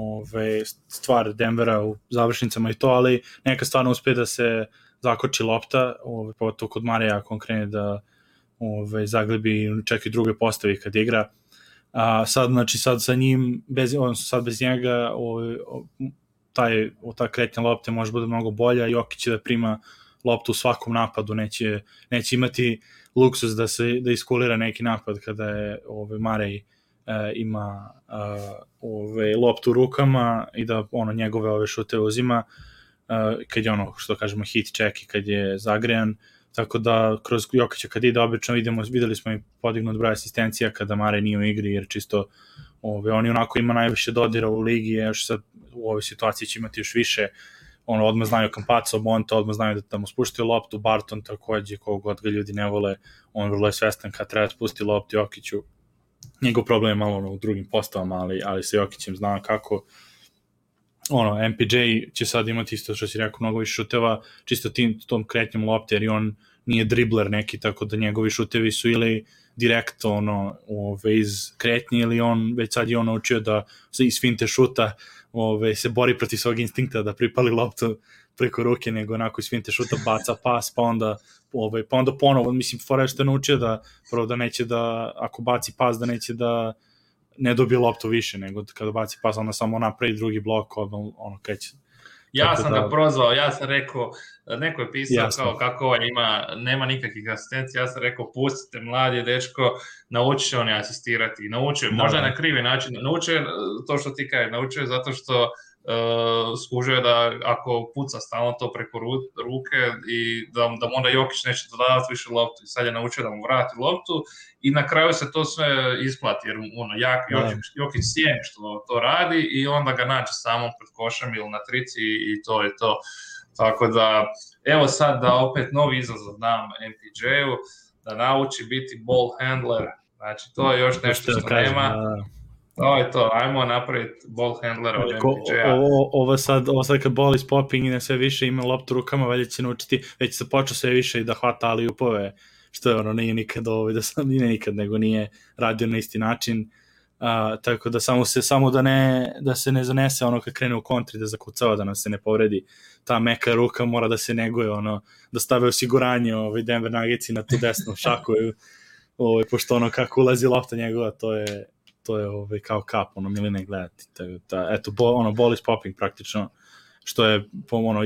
stvar Denvera u završnicama i to, ali neka stvarno uspije da se zakoči lopta, pogotovo kod Mareja ako on krene da zaglebi čak i druge postavi kad igra. Sad sa njim, sad bez njega ta kretnja lopte može bude mnogo bolja, Jokić će da prima loptu u svakom napadu, neće imati luksus da iskulira neki napad kada je Marej ima loptu u rukama i da njegove šute uzima kad je što kažemo hit check i kad je zagrejan, tako da kroz Jokića kad ide obično videli smo i podignut broj asistencija kada Marej nije u igri, jer čisto on onako ima najviše dodira u ligi, još sad u ovoj situaciji će imati još više. Odmah znaju Campazzo, Monta, odmah znaju da mu spuštaju loptu, Barton takođe, kogod ga ljudi ne vole, on vrlo je svestan kad treba spusti loptu Jokiću. Njegov problem je malo u drugim postavama, ali sa Jokićem zna kako. MPJ će sad imati isto što si rekao, mnogo više šuteva, čisto tom kretnjom lopte, jer i on nije dribler neki, tako da njegovi šutevi su ili direkt iz kretnje, ili on već sad je naučio da se iz finte šuta se bori protiv svog instinkta da pripali loptu preko ruke, nego onako iz finte šuta baca pas, pa onda ponovo, mislim, fora što je naučio da prvo da neće da, ako baci pas, da neće da ne dobije loptu više, nego kada baci pas, onda samo napravi drugi blok, kreće. Ja sam ga prozvao, ja sam rekao, neko je pisao kao kako on nema nikakvih asistencija, ja sam rekao pustite mladi dečko, nauči će on asistirati, nauči, možda na krivi način, nauči to što ti kaže, nauči zato što skužio da ako puca stalno to preko ruke i da mu onda Jokić neće dodavati više loptu i sad je naučio da mu vrati loptu i na kraju se to sve isplati jer Jokić sjeni što to radi i onda ga nađe samo pred košem ili na trici i to je to. Tako da, evo sad da opet novi izazov dam MPJ-u, da nauči biti ball handler, znači to je još nešto što nema. To je to, ajmo napraviti ball handlera od MPJ-a. Ovo sad kad ball is popping i na sve više ima loptu rukama, valjda će naučiti, već se počeo sve više i da hvata ali-upove, što je nije nikad nego nije radio na isti način. Tako da samo da se ne zanese kad krene u kontri da zakucava, da nam se ne povredi ta meka ruka, mora da se neguje da stave osiguranje Denver Nuggetsi na tu desnu šaku pošto kako ulazi lopta njegova, to je kao kap miline gledati. Eto, ball is popping praktično, što je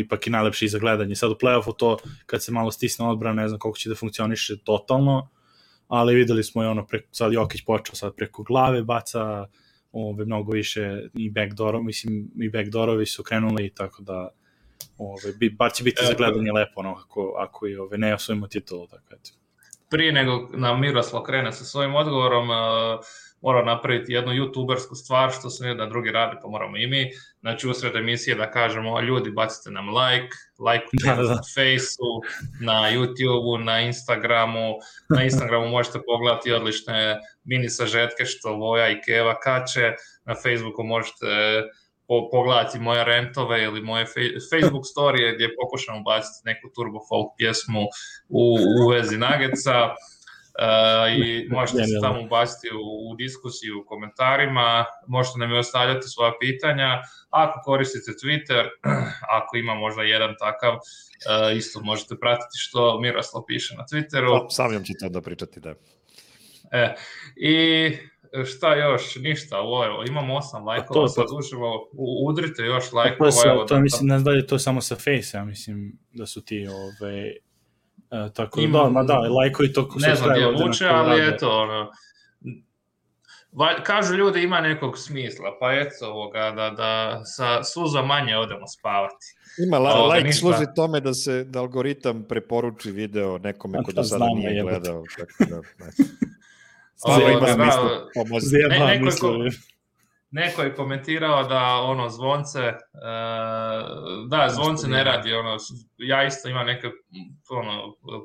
ipak i najlepši za gledanje. Sad u play-offu to kad se malo stisne odbrana, ne znam koliko će da funkcioniše totalno, ali videli smo sad Jokić počeo sad preko glave, baca mnogo više i backdoorovi su krenuli, tako da bar će biti za gledanje lepo ako i ne osvojimo titulu. Tako eto. Prije nego nam Miroslav krene sa svojim odgovorom, moram napraviti jednu youtubersku stvar što se ne drugi radi, pa moramo i mi. Znači usred emisije da kažemo, ljudi bacite nam lajkujte na Faceu, na YouTubeu, na Instagramu. Na Instagramu možete pogledati odlične mini sažetke što Voja i Keva kače. Na Facebooku možete pogledati moje rentove ili moje Facebook storije gdje pokušamo baciti neku turbo folk pjesmu u vezi Nuggetsa. I možete se tamo ubaciti u diskusiju, u komentarima, možete nam i ostavljati svoja pitanja. Ako koristite Twitter, ako ima možda jedan takav, isto možete pratiti što Miroslav piše na Twitteru. Sam ću to da pričati, da. I šta još? Ništa, imamo 8 lajkova, sad uživo, udrite još lajkova. To mislim, ne znam da je to samo sa Face, ja mislim da su ti tako da, lajkovi to ne znam gdje vuče, ali eto, kažu ljudi ima nekog smisla, pa eto da sa suza manje odemo spavati. Ima lajk služi tome da algoritam preporuči video nekome ko do sada nije gledao. Stvarno ima smisla pomoći. Neko je komentirao da zvonce, zvonce ne radi, ja isto imam neke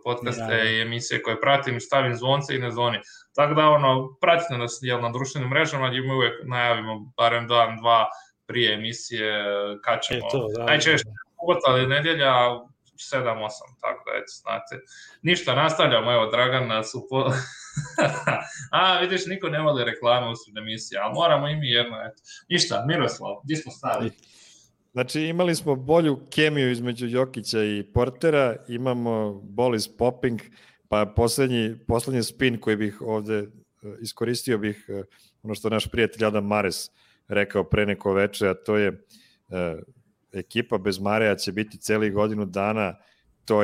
podcaste i emisije koje pratim, stavim zvonce i ne zvoni. Tako da pratite nas na društvenim mrežama gdje mi uvijek najavimo barem dan, dva prije emisije kad ćemo. Najčešće subota ali nedjelja 7-8, tako da eto, znate. Ništa, nastavljamo, evo, Dragan nas vidiš, niko ne voli reklame usred emisije, ali moramo i mi jedno, eto. Ništa, Miroslav, gdje smo stali? Znači, imali smo bolju kemiju između Jokića i Portera, imamo ball is popping, pa poslednji spin koji bih ovde iskoristio bih ono što naš prijatelj Adam Mares rekao pre neko veče, a to je ekipa bez Mareja će biti celih godinu dana, to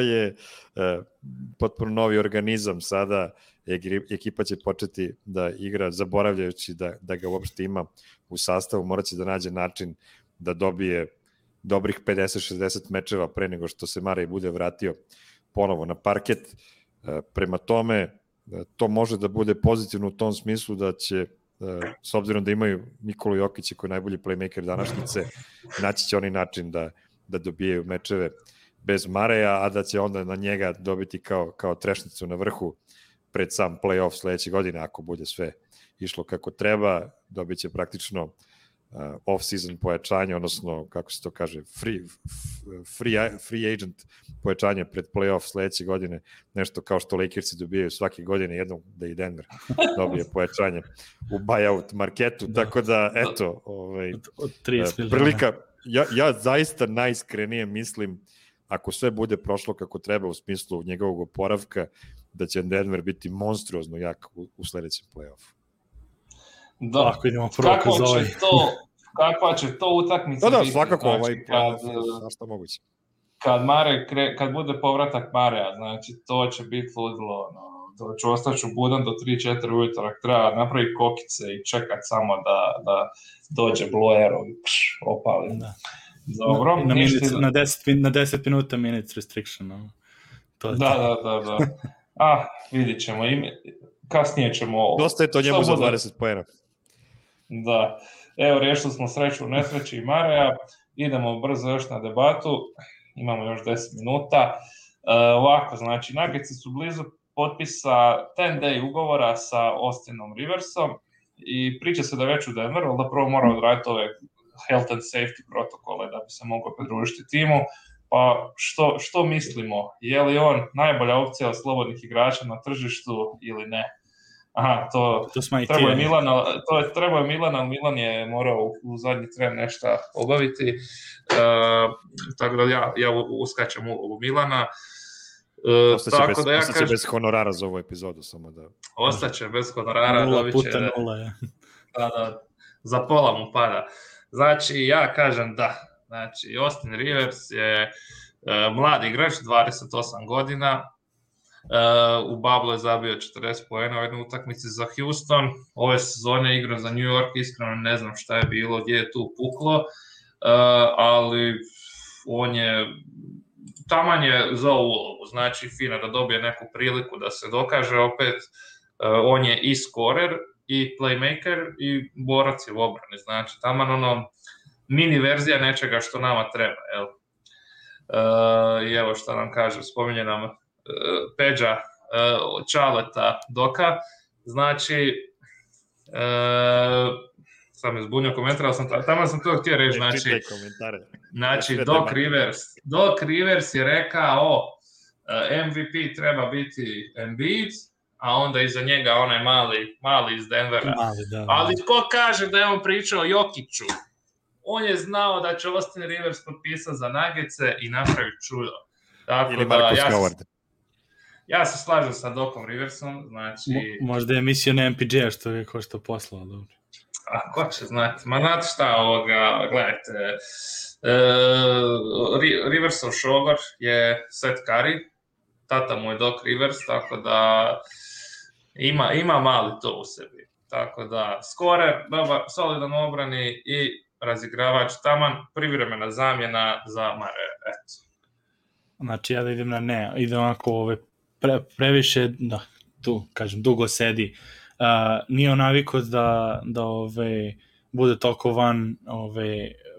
je potpuno novi organizam sada, ekipa će početi da igra zaboravljajući da ga uopšte ima u sastavu, morat će da nađe način da dobije dobrih 50-60 mečeva pre nego što se Marej bude vratio ponovo na parket. Prema tome, to može da bude pozitivno u tom smislu da će, s obzirom da imaju Nikolu Jokića koji je najbolji playmaker današnjice, naći će oni način da dobijaju mečeve bez Mareja, a da će onda na njega dobiti kao trešnicu na vrhu pred sam play-off sledeće godine, ako bude sve išlo kako treba, dobit će praktično off-season pojačanje, odnosno, kako se to kaže, free agent pojačanje pred play-off sledeće godine, nešto kao što Lakersi dobijaju svake godine, jednom da i Denver dobije pojačanje u buyout marketu, tako da, eto, prilika, ja zaista najiskrenije mislim, ako sve bude prošlo kako treba u smislu njegovog oporavka, da će Denver biti monstruozno jak u sledećem play-offu. Da, kakva će to utakmica biti? Da, svakako, što moguće. Kad bude povratak Mareja, znači to će biti ludilo, ostaću budan do 3-4 ujutro, ako treba napraviti kokice i čekat samo da dođe blowerom i opali. Da. Dobro, na 10 minuta minutes restriction. No. Da. Vidit ćemo. Kasnije ćemo... Dosta je to njemu za 20 poena. Da. Evo, riješili smo sreću u nesreći i Mareja. Idemo brzo još na debatu. Imamo još 10 minuta. Ovako, znači, Nuggetsi su blizu potpisa 10-day ugovora sa Austinom Riversom i priča se da već u Denveru, ali da prvo mora odraditi ove health and safety protokole da bi se mogao pridružiti timu. Pa što mislimo? Je li on najbolja opcija od slobodnih igrača na tržištu ili ne? Aha, to treba je Milan, ali Milan je morao u zadnji tren nešto obaviti. Tako da ja uskačem u Milana. Ostaće bez honorara za ovu epizodu, samo da... Ostaće bez honorara. 0 puta 0, ja. Da, za pola mu pada. Znači, ja kažem da. Znači, Austin Rivers je mladi igrač, 28 godina. U Bablu je zabio 40 poena u jednoj utakmici za Houston. Ove sezone igrao za New York, iskreno ne znam šta je bilo, gdje je tu puklo, ali on je taman je za ulogu, znači fina da dobije neku priliku da se dokaže opet. On je i scorer i playmaker i borac je u obrani, znači taman ono mini verzija nečega što nama treba, jel? I evo šta nam kaže, spominje nam Peđa Čaleta Doka, znači sam izbunio komentar, ali tamo sam to htio reći, znači Doc Rivers je rekao MVP treba biti Embiid, a onda iza njega onaj mali iz Denvera, ali ko kaže da je on pričao o Jokiću? On je znao da će Austin Rivers potpisati za Nuggetse i napraviti čudo. Ili Marcus Howard. Ja se slažem sa Docom Riversom, znači... Možda je mislio na MPJ-a što je ko što poslao, dobro. A ko će znati? Ma znate šta ovoga, gledajte, Riversov šogor je Seth Curry, tata mu je Doc Rivers, tako da ima mali to u sebi. Tako da, scorer, dobar, solidan obrani i razigravač, taman privremena zamjena za Mare, eto. Znači ja da idem na ne, idem onako previše, da, tu, kažem, dugo sedi. Nije on navikao da bude toliko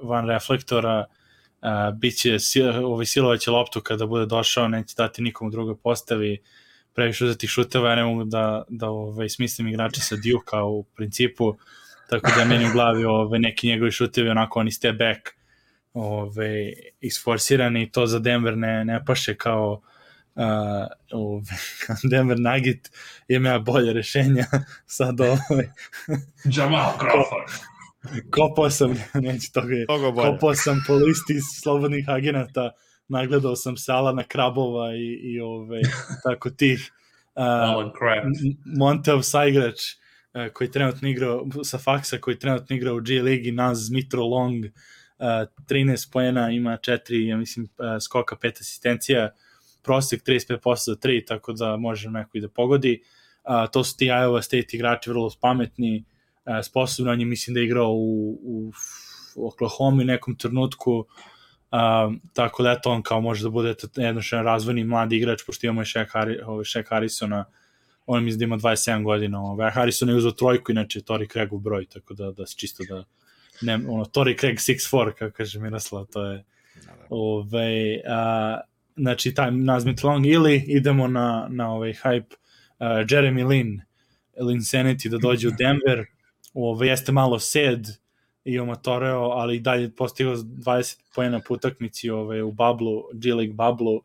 van reflektora, biće silovaće loptu kada bude došao, neće dati nikomu drugoj postavi, previše uzeti šuteva, ja ne mogu da smislim igrača sa Duke-a u principu, tako da meni u glavi neki njegovi šutevi onako oni step back isforsirani i to za Denver ne paše kao Denver Nugget, ima bolje rešenja sad Jamal Crawford kopao sam kopao sam po listi slobodnih agenata, nagledao sam Salana Krabova i tako tih Montev saigrač koji trenutno igrao sa Faksa, koji trenutno igra u G Ligi, Naz Mitro Long, 13 poena, ima 4, ja mislim, skoka, 5 asistencija, prosek 35% za 3, tako da može neko i da pogodi. To su ti Iowa State igrači vrlo pametni, sposobno, on je mislim da je igrao u Oklahoma u nekom trenutku, tako da eto on kao može da bude jednošan razvojni mladi igrač, pošto imamo Shaq Harrisona, on mislim da ima 27 godina, Harrison je uzao trojku, inače Torrey Craigov broj, tako da se čisto da Torrey Craig 6'4", kako kaže Miroslav, to je znači taj nazmit long, ili idemo na hype Jeremy Lin Linsanity da dođe u Denver, jeste malo sed i omatoreo, ali i dalje postigao 20 poena po utakmici u bablu, G League bablu,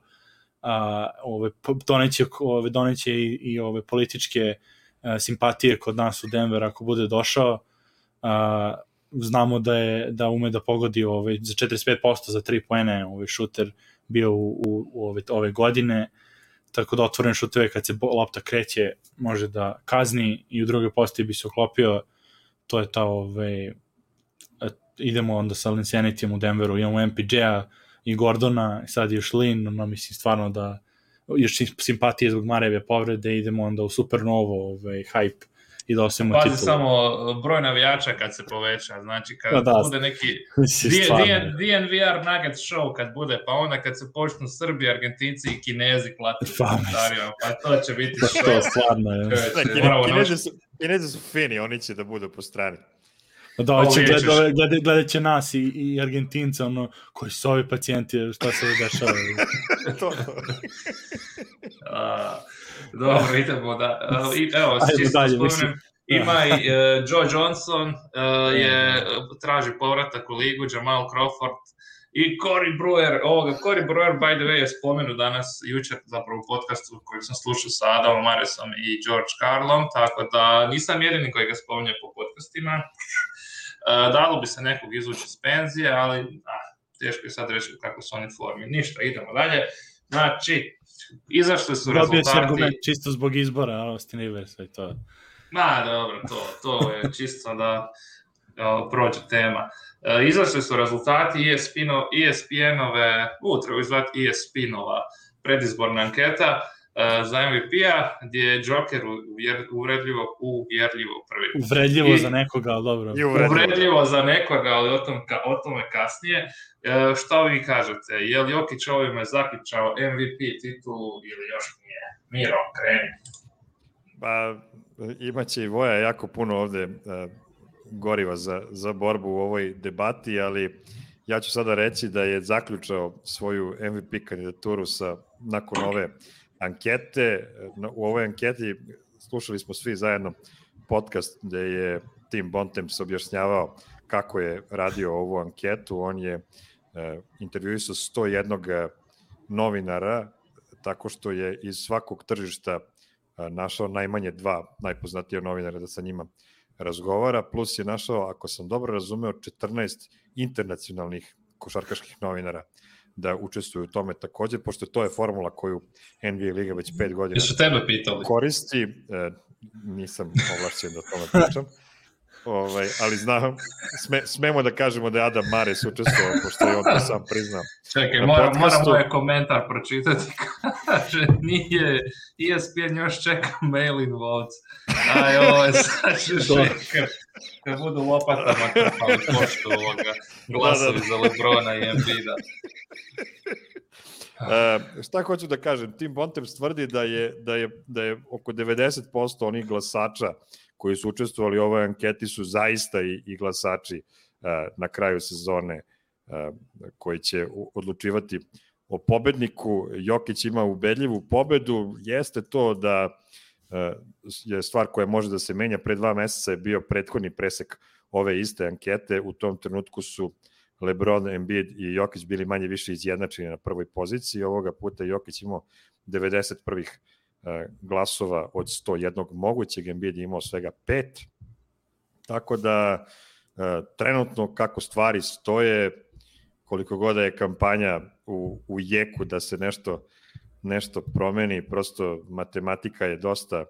doneće i političke simpatije kod nas u Denver ako bude došao. Znamo da ume da pogodi za 45% za 3 poene šuter bio u ove godine, tako da otvoren šuteve kad se lopta kreće može da kazni i u drugoj postaji bi se uklopio. To je ta idemo onda sa Linsanitym u Denveru, imamo MPJ-a i Gordona, sad još Lin, mislim stvarno da još simpatije zbog Mareve povrede, idemo onda u Supernovo, hype i da osvojimo titulu. Pazi samo broj navijača kad se poveća, znači kad bude neki DNVR Nuggets show kad bude, pa onda kad se počnu Srbi, Argentinci i Kinezi klati komentarima, pa to će biti show. To stvarno je. Kinezi su fini, oni će da budu po strani. Da, gledat će nas i Argentinca, koji su ovi pacijenti, šta se dešava. Dobro, idemo da... Evo, čisto spomenem, ima i Joe Johnson, traži povratak u ligu, Jamal Crawford i Corey Brewer. Corey Brewer, by the way, je spomenu danas, jučer, zapravo u podcastu koji sam slušao sa Adamom Maresom i George Carlom, tako da nisam jedini koji ga spominje po podcastima. Dalo bi se nekog izvući iz penzije, ali teško je sad reći kako su oni formi. Ništa, idemo dalje. Znači, izašli su rezultati... Dobio se argument čisto zbog izbora Austin Riversa i to. Dobro, to je čisto da prođe tema. Izašli su rezultati ESPN-ove, treba izvati ESPN-ova predizborna anketa za MVP-a, gdje je Joker uvredljivo prvi. Uvredljivo za nekoga, ali dobro. Uvredljivo za nekoga, ali o tome kasnije. Šta vi kažete? Je li Jokić ovime zaključao MVP titulu ili još nije? Miro, kreni. Pa, imaće i Voja jako puno ovde goriva za borbu u ovoj debati, ali ja ću sada reći da je zaključao svoju MVP kandidaturu nakon ove ankete. U ovoj anketi slušali smo svi zajedno podcast gde je Tim Bontemps objašnjavao kako je radio ovu anketu. On je intervjuisao 101 novinara tako što je iz svakog tržišta našao najmanje 2 najpoznatija novinara da sa njima razgovara, plus je našao, ako sam dobro razumeo, 14 internacionalnih košarkaških novinara da učestvuju u tome takođe, pošto to je formula koju NBA Liga već 5 godina koristi. Nisam ovlašćen da o tome pričam. Ali znam, smemo da kažemo da je Adam Mares učestvovao, pošto je on to sam priznao. Čekaj, moram moj komentar pročitati. Kaže, nije ESPN još čeka mail-in votes. Ovo je sad šekar. Kad budu lopatama krpali poštu glasovi za Lebrona i Embiida. Šta hoću da kažem? Tim Bontemps tvrdi da je oko 90% onih glasača koji su učestvovali u ovoj anketi su zaista i glasači na kraju sezone koji će odlučivati o pobedniku. Jokić ima ubedljivu pobedu. Jeste to da je stvar koja može da se menja. Pre 2 meseca je bio prethodni presek ove iste ankete. U tom trenutku su LeBron, Embiid i Jokić bili manje više izjednačeni na prvoj poziciji. Ovoga puta Jokić imao 90 prvih glasova od 101 mogućeg, Embiid je imao svega 5. Tako da trenutno kako stvari stoje, koliko god je kampanja u jeku da se nešto promeni, prosto matematika je dosta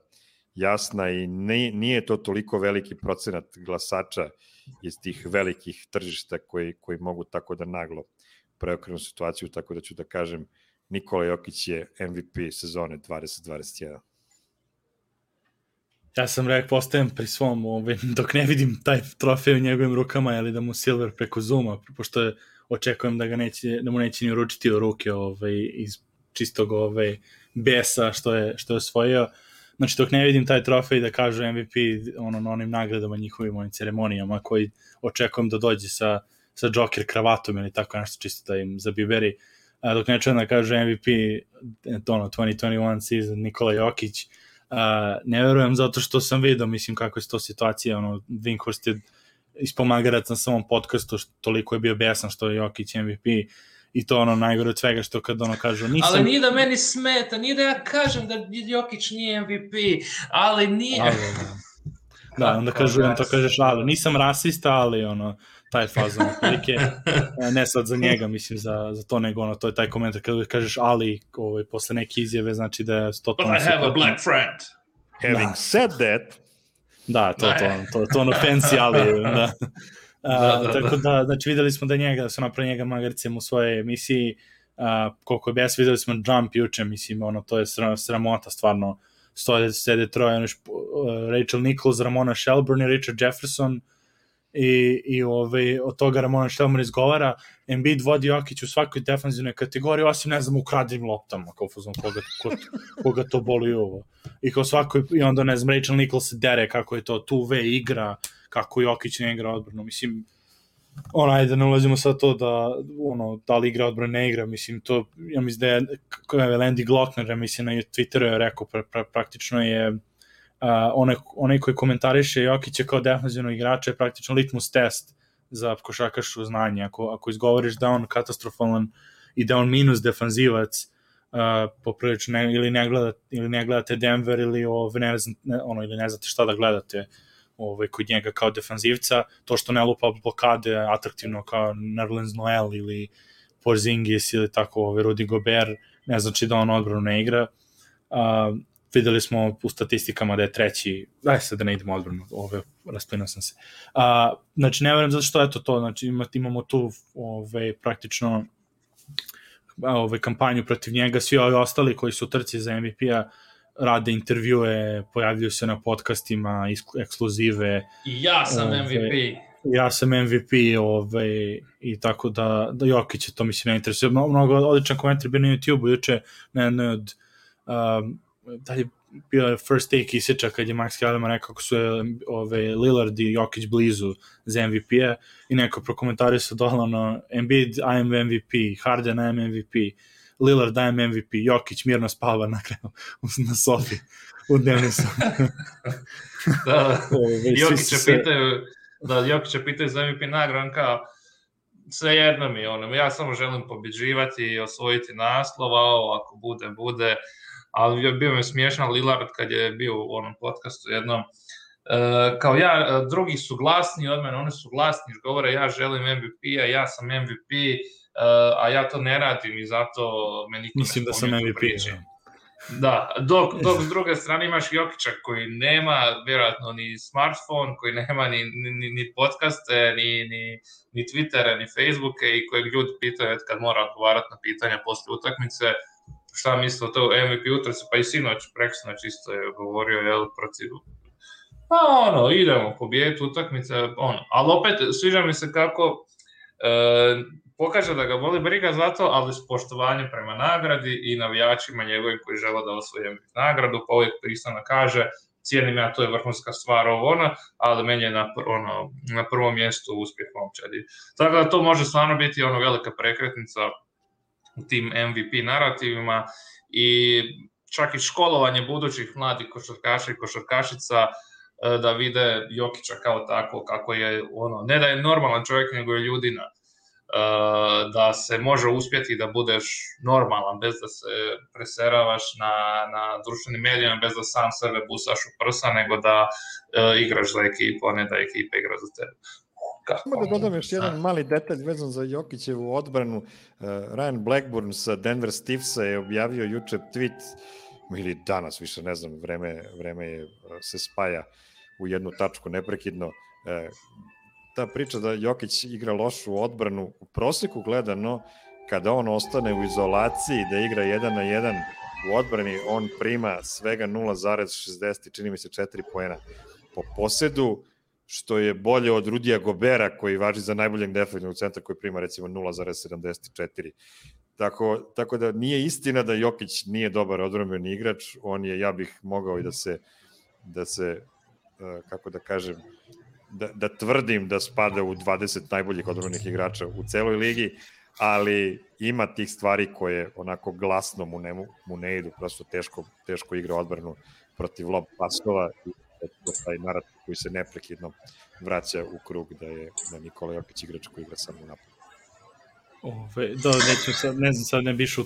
jasna i nije to toliko veliki procenat glasača iz tih velikih tržišta koji mogu tako da naglo preokrenu situaciju, tako da ću da kažem Nikola Jokić je MVP sezone 2021. Ja sam postajem pri svom, dok ne vidim taj trofej u njegovim rukama, ali da mu Silver preko Zooma, pošto očekujem da mu neće ni uručiti u ruke iz čistog besa što je osvojio. Znači, dok ne vidim taj trofej da kažu MVP na onim nagradama, njihovim ovim ceremonijama, koji očekujem da dođe sa Joker kravatom ili tako nešto čisto da im zabiberi. Dok ne čujem da kaže MVP 2021 season Nikola Jokić, ne verujem zato što sam vidio, mislim kako je to situacija, Winkhorst je ispomagarac na samom podcastu, toliko je bio besan što je Jokić MVP i to najgore od svega što kad kažu nisam... Ali nije da meni smeta, nije da ja kažem da Jokić nije MVP, ali nije... Da, onda kažeš, ali nisam rasista, ali taj fazon otprilike, ne sad za njega, mislim, za to, nego to je taj komentar kada kažeš ali posle neke izjave, znači da je totalno... But I have a black friend. Having said that... Da, to fancy ali, da. Tako da, znači videli smo da su napravili njega magarcem u svojoj emisiji, koliko je bes, videli smo jump juče, mislim, ono, to je sramota, stvarno, sede troje, Rachel Nichols, Ramona Shelburne i Richard Jefferson, i od toga Ramona Shelburne izgovara, Embiid vodi Jokić u svakoj defanzivnoj kategoriji, osim, ne znam, ukradenim loptama, kao fuzon, koga to boli ovo. I kao svakoj, i onda, ne znam, Rachel Nichols se dere kako je to two-way igra, kako Jokić ne igra odbranu, mislim, ajde, ne ulazimo sad to da li igra odbranu, ne igra, mislim, to, ja mislim da je Landy Glockner, ja mislim, na Twitteru je rekao, praktično je onaj koji komentariše Jokića kao defensivnog igrača je praktično litmus test za košarkaško znanje. Ako izgovoriš da on katastrofalan i da on minus defanzivac, poprilično ili ne gledate Denver ili ili ne znate šta da gledate kod njega kao defanzivca, to što ne lupa blokade atraktivno kao Nerlens Noel ili Porzingis ili tako Rudy Gobert, ne znači da on odbranu ne igra. Videli smo u statistikama da je treći, daj sad da ne idemo odbranu, rasplinao sam se. Znači, ne verujem zato što je to, znači imamo tu praktično kampanju protiv njega, svi ovi ostali koji su u trci za MVP-a rade intervjue, pojavljuju se na podcastima, ekskluzive. I ja sam MVP. Ja sam MVP i tako da Jokić je to mislim ne interesuje. Mnogo odličan komentar bio na YouTube-u juče na jednoj od da je bio first take isječa kad je Max Kellerman rekao kako su Lillard i Jokić blizu za MVP-a i neko prokomentarisao dohlavno Embiid, I am MVP, Harden, I am MVP, Lillard, I am MVP, Jokić mirno spava na kraju na sobi u dnevnicu. Jokića pitaju za MVP nagradu, kao sve jedno mi je, ja samo želim pobjeđivati i osvojiti naslova, ako bude, ali bio mi smiješan Lillard kad je bio u onom podcastu jednom, kao drugi su glasni od mene, oni su glasni, govore ja želim MVP-a, ja sam MVP, a ja to ne radim i zato me niko mislim ne spominje u priči. Da, dok s druge strane imaš Jokića koji nema vjerojatno ni smartphone, koji nema ni podcaste, ni Twittere, ni Facebooke i kojeg ljudi pitaju kad mora odgovarati na pitanja posle utakmice, šta misle o to MVP utrci, pa i preksinoć isto je govorio protiv, idemo pobijediti utakmice, ali opet sviđa mi se kako pokaže da ga voli briga za to, ali s poštovanjem prema nagradi i navijačima njegovim koji žele da osvoje nagradu, pa uvijek pristano kaže, cijenim ja, to je vrhunska stvar ali meni je na prvom mjestu uspjeh momčadi. Tako da to može stvarno biti velika prekretnica u tim MVP narativima i čak i školovanje budućih mladih košarkaša i košarkašica da vide Jokića kao tako, kako je ne da je normalan čovjek, nego je ljudina. Da se može uspjeti da budeš normalan bez da se preseravaš na društvenim medijama, bez da sam sebe busaš u prsa, nego da igraš za ekipu, a ne da ekipa igra za tebe. Samo da dodam još jedan mali detalj vezan za Jokićevu odbranu. Ryan Blackburn sa Denver Stiffsa je objavio juče tweet, ili danas više ne znam, vreme se spaja u jednu tačku neprekidno. Ta priča da Jokić igra lošu odbranu u proseku gledano, kada on ostane u izolaciji da igra 1 na 1 u odbrani, on prima svega 0,60, čini mi se 4 poena po posedu, što je bolje od Rudija Gobera koji važi za najboljeg defensivnog centra koji prima recimo 0,74. Tako da nije istina da Jokić nije dobar odbrambeni igrač, on je, ja bih mogao i da se kako da kažem, da tvrdim da spada u 20 najboljih odbrambenih igrača u celoj ligi, ali ima tih stvari koje onako glasno mu ne idu, prosto teško igra odbranu protiv lob pasova i taj narativ koji se neprekidno vraća u krug da Nikola Jokić igrač koji igra samo u napadu. Ne znam, sad ne biš u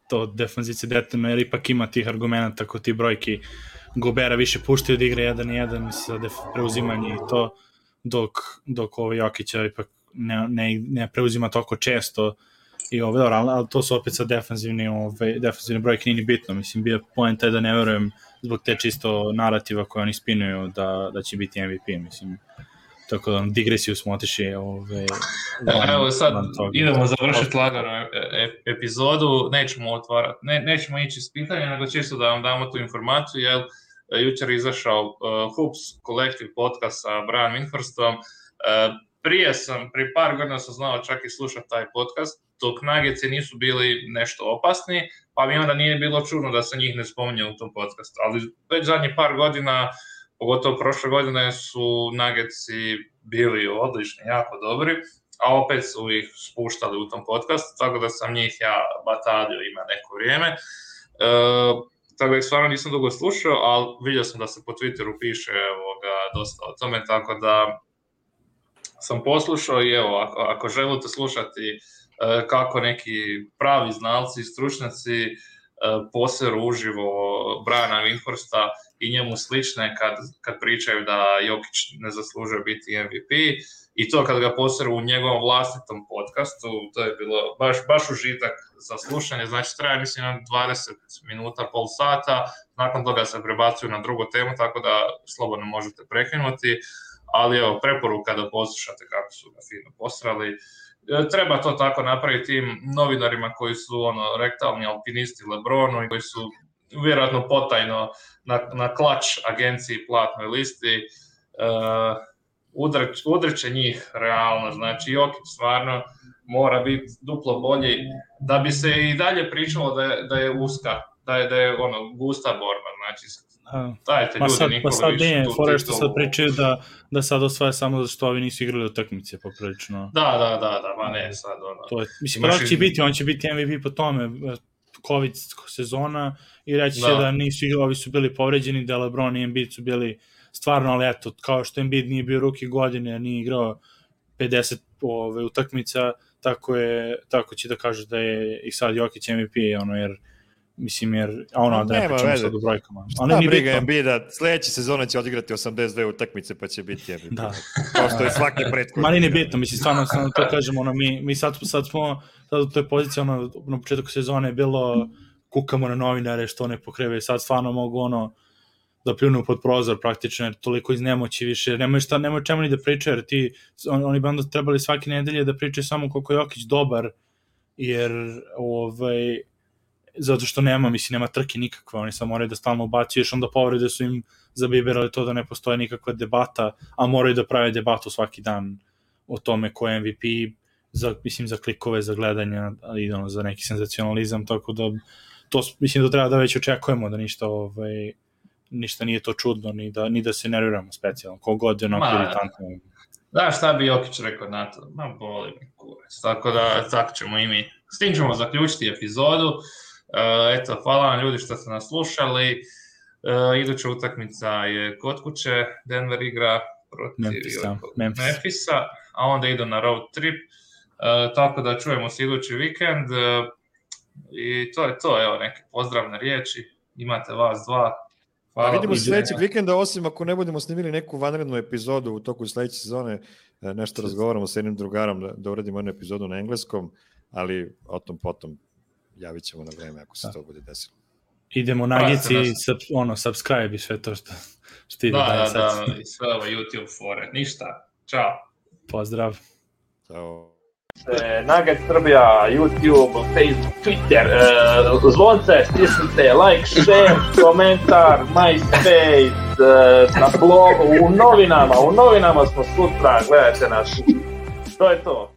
to defanzici detaljno, jer ipak ima tih argumenta kod ti brojki Gobera više puštaju da igra 1-1, mislim da preuzimanje i to, dok Jokića ipak ne preuzima toliko često i dobro, ali to su opet sad defanzivne brojke, nije ni bitno, mislim, bio point je da ne verujem zbog te čisto narativa koje oni spinuju da će biti MVP, mislim, tako da digresiju smo otišli evo sad idemo završiti lagano epizodu, nećemo otvarati, nećemo ići s pitanja, nego čisto da vam damo tu informaciju, jer jučer je izašao Hoops Collective podcast sa Brian Windhorstom. Prije par godina sam znao čak i slušati taj podcast, dok Nuggetsi nisu bili nešto opasni, pa mi onda nije bilo čudno da se njih ne spominje u tom podcastu. Ali već zadnjih par godina, pogotovo prošle godine, su Nuggetsi bili odlični, jako dobri, a opet su ih spuštali u tom podcastu, tako da sam njih ja batalio ima neko vrijeme. Tako da ih stvarno nisam dugo slušao, ali vidio sam da se po Twitteru piše dosta o tome, tako da sam poslušao i evo, ako želite slušati kako neki pravi znalci i stručnjaci poseru uživo Briana Windhorsta i njemu slične kad pričaju da Jokić ne zaslužuje biti MVP, i to kad ga poseru u njegovom vlastitom podcastu, to je bilo baš užitak za slušanje, znači traje mislim 20 minuta, pol sata, nakon toga se prebacuju na drugu temu, tako da slobodno možete prekinuti, ali evo, preporuka da poslušate kako su ga fino posrali. Treba to tako napraviti tim novinarima koji su rektalni alpinisti LeBronu i koji su vjerojatno potajno na klač agenciji platnoj listi, udreće njih realno, znači Jokić stvarno mora biti duplo bolji da bi se i dalje pričalo da je uska, da je gusta borba, znači dajte ljudi Nikolić. Fora što sad pričaju da sad osvaja samo zato što ovi nisu igrali utakmice poprilično. Da, ma ne sad to je, mislim, on će biti MVP po tome, COVID sezona, i reći će da nisu igrali, ovi su bili povređeni, da LeBron i Embiid su bili stvarno, ali eto, kao što Embiid nije bio rookie godine, nije igrao 50 utakmica, tako će da kažu da je i sad Jokić MVP, da ne pričamo sad u brojkama. Šta briga Embiida, sledeće sezone će odigrati 82 utakmice pa će biti MVP. Da. Kao što je svaki prethodni. Ma nije bitno, mislim, stvarno to kažemo, mi sad smo u toj poziciji, na početku sezone je bilo kukamo na novinare što ne pokreve, sad stvarno mogu da pljunu pod prozor praktično, jer toliko iz nemoći više, nemaju čemu ni da pričaju, jer oni bi onda trebali svake nedelje da pričaju samo koliko je Jokić dobar, jer zato što nema trke nikakve, oni samo moraju da stalno ubacuju, još onda povrede su im zabiberali to da ne postoje nikakva debata, a moraju da prave debatu svaki dan o tome ko je MVP, za klikove, za gledanje, ali za neki senzacionalizam, tako da to mislim da treba da već očekujemo, da ništa nije to čudno, ni da se nerviramo specijalno, kogod je onako iritantno. Da, šta bi Jokić rekao na to? Boli mi kurac, tako da tako ćemo i mi. S tim ćemo zaključiti epizodu. Eto, hvala vam ljudi što ste nas slušali. Iduća utakmica je kod kuće, Denver igra protiv Memphisa, a onda idu na road trip, tako da čujemo se idući vikend i to je to, evo neke pozdravne riječi, imate vas dva. Hvala. Vidimo se sledećeg vikenda, osim ako ne budemo snimili neku vanrednu epizodu u toku sledeće sezone, nešto razgovaramo sa jednim drugarom da uradimo jednu epizodu na engleskom, ali o tom potom javit ćemo na vreme ako se to bude desilo. Idemo na Nuggetsi i subscribe i sve to što ide dalje sad. Da, i sve ovo YouTube fore. Ništa. Ćao. Pozdrav. Ćao. Nugget Srbija, YouTube, Facebook, Twitter, zvonce, stisnite, like, share, komentar, MySpace, na blogu, u novinama smo sutra, gledajte nas. To je to.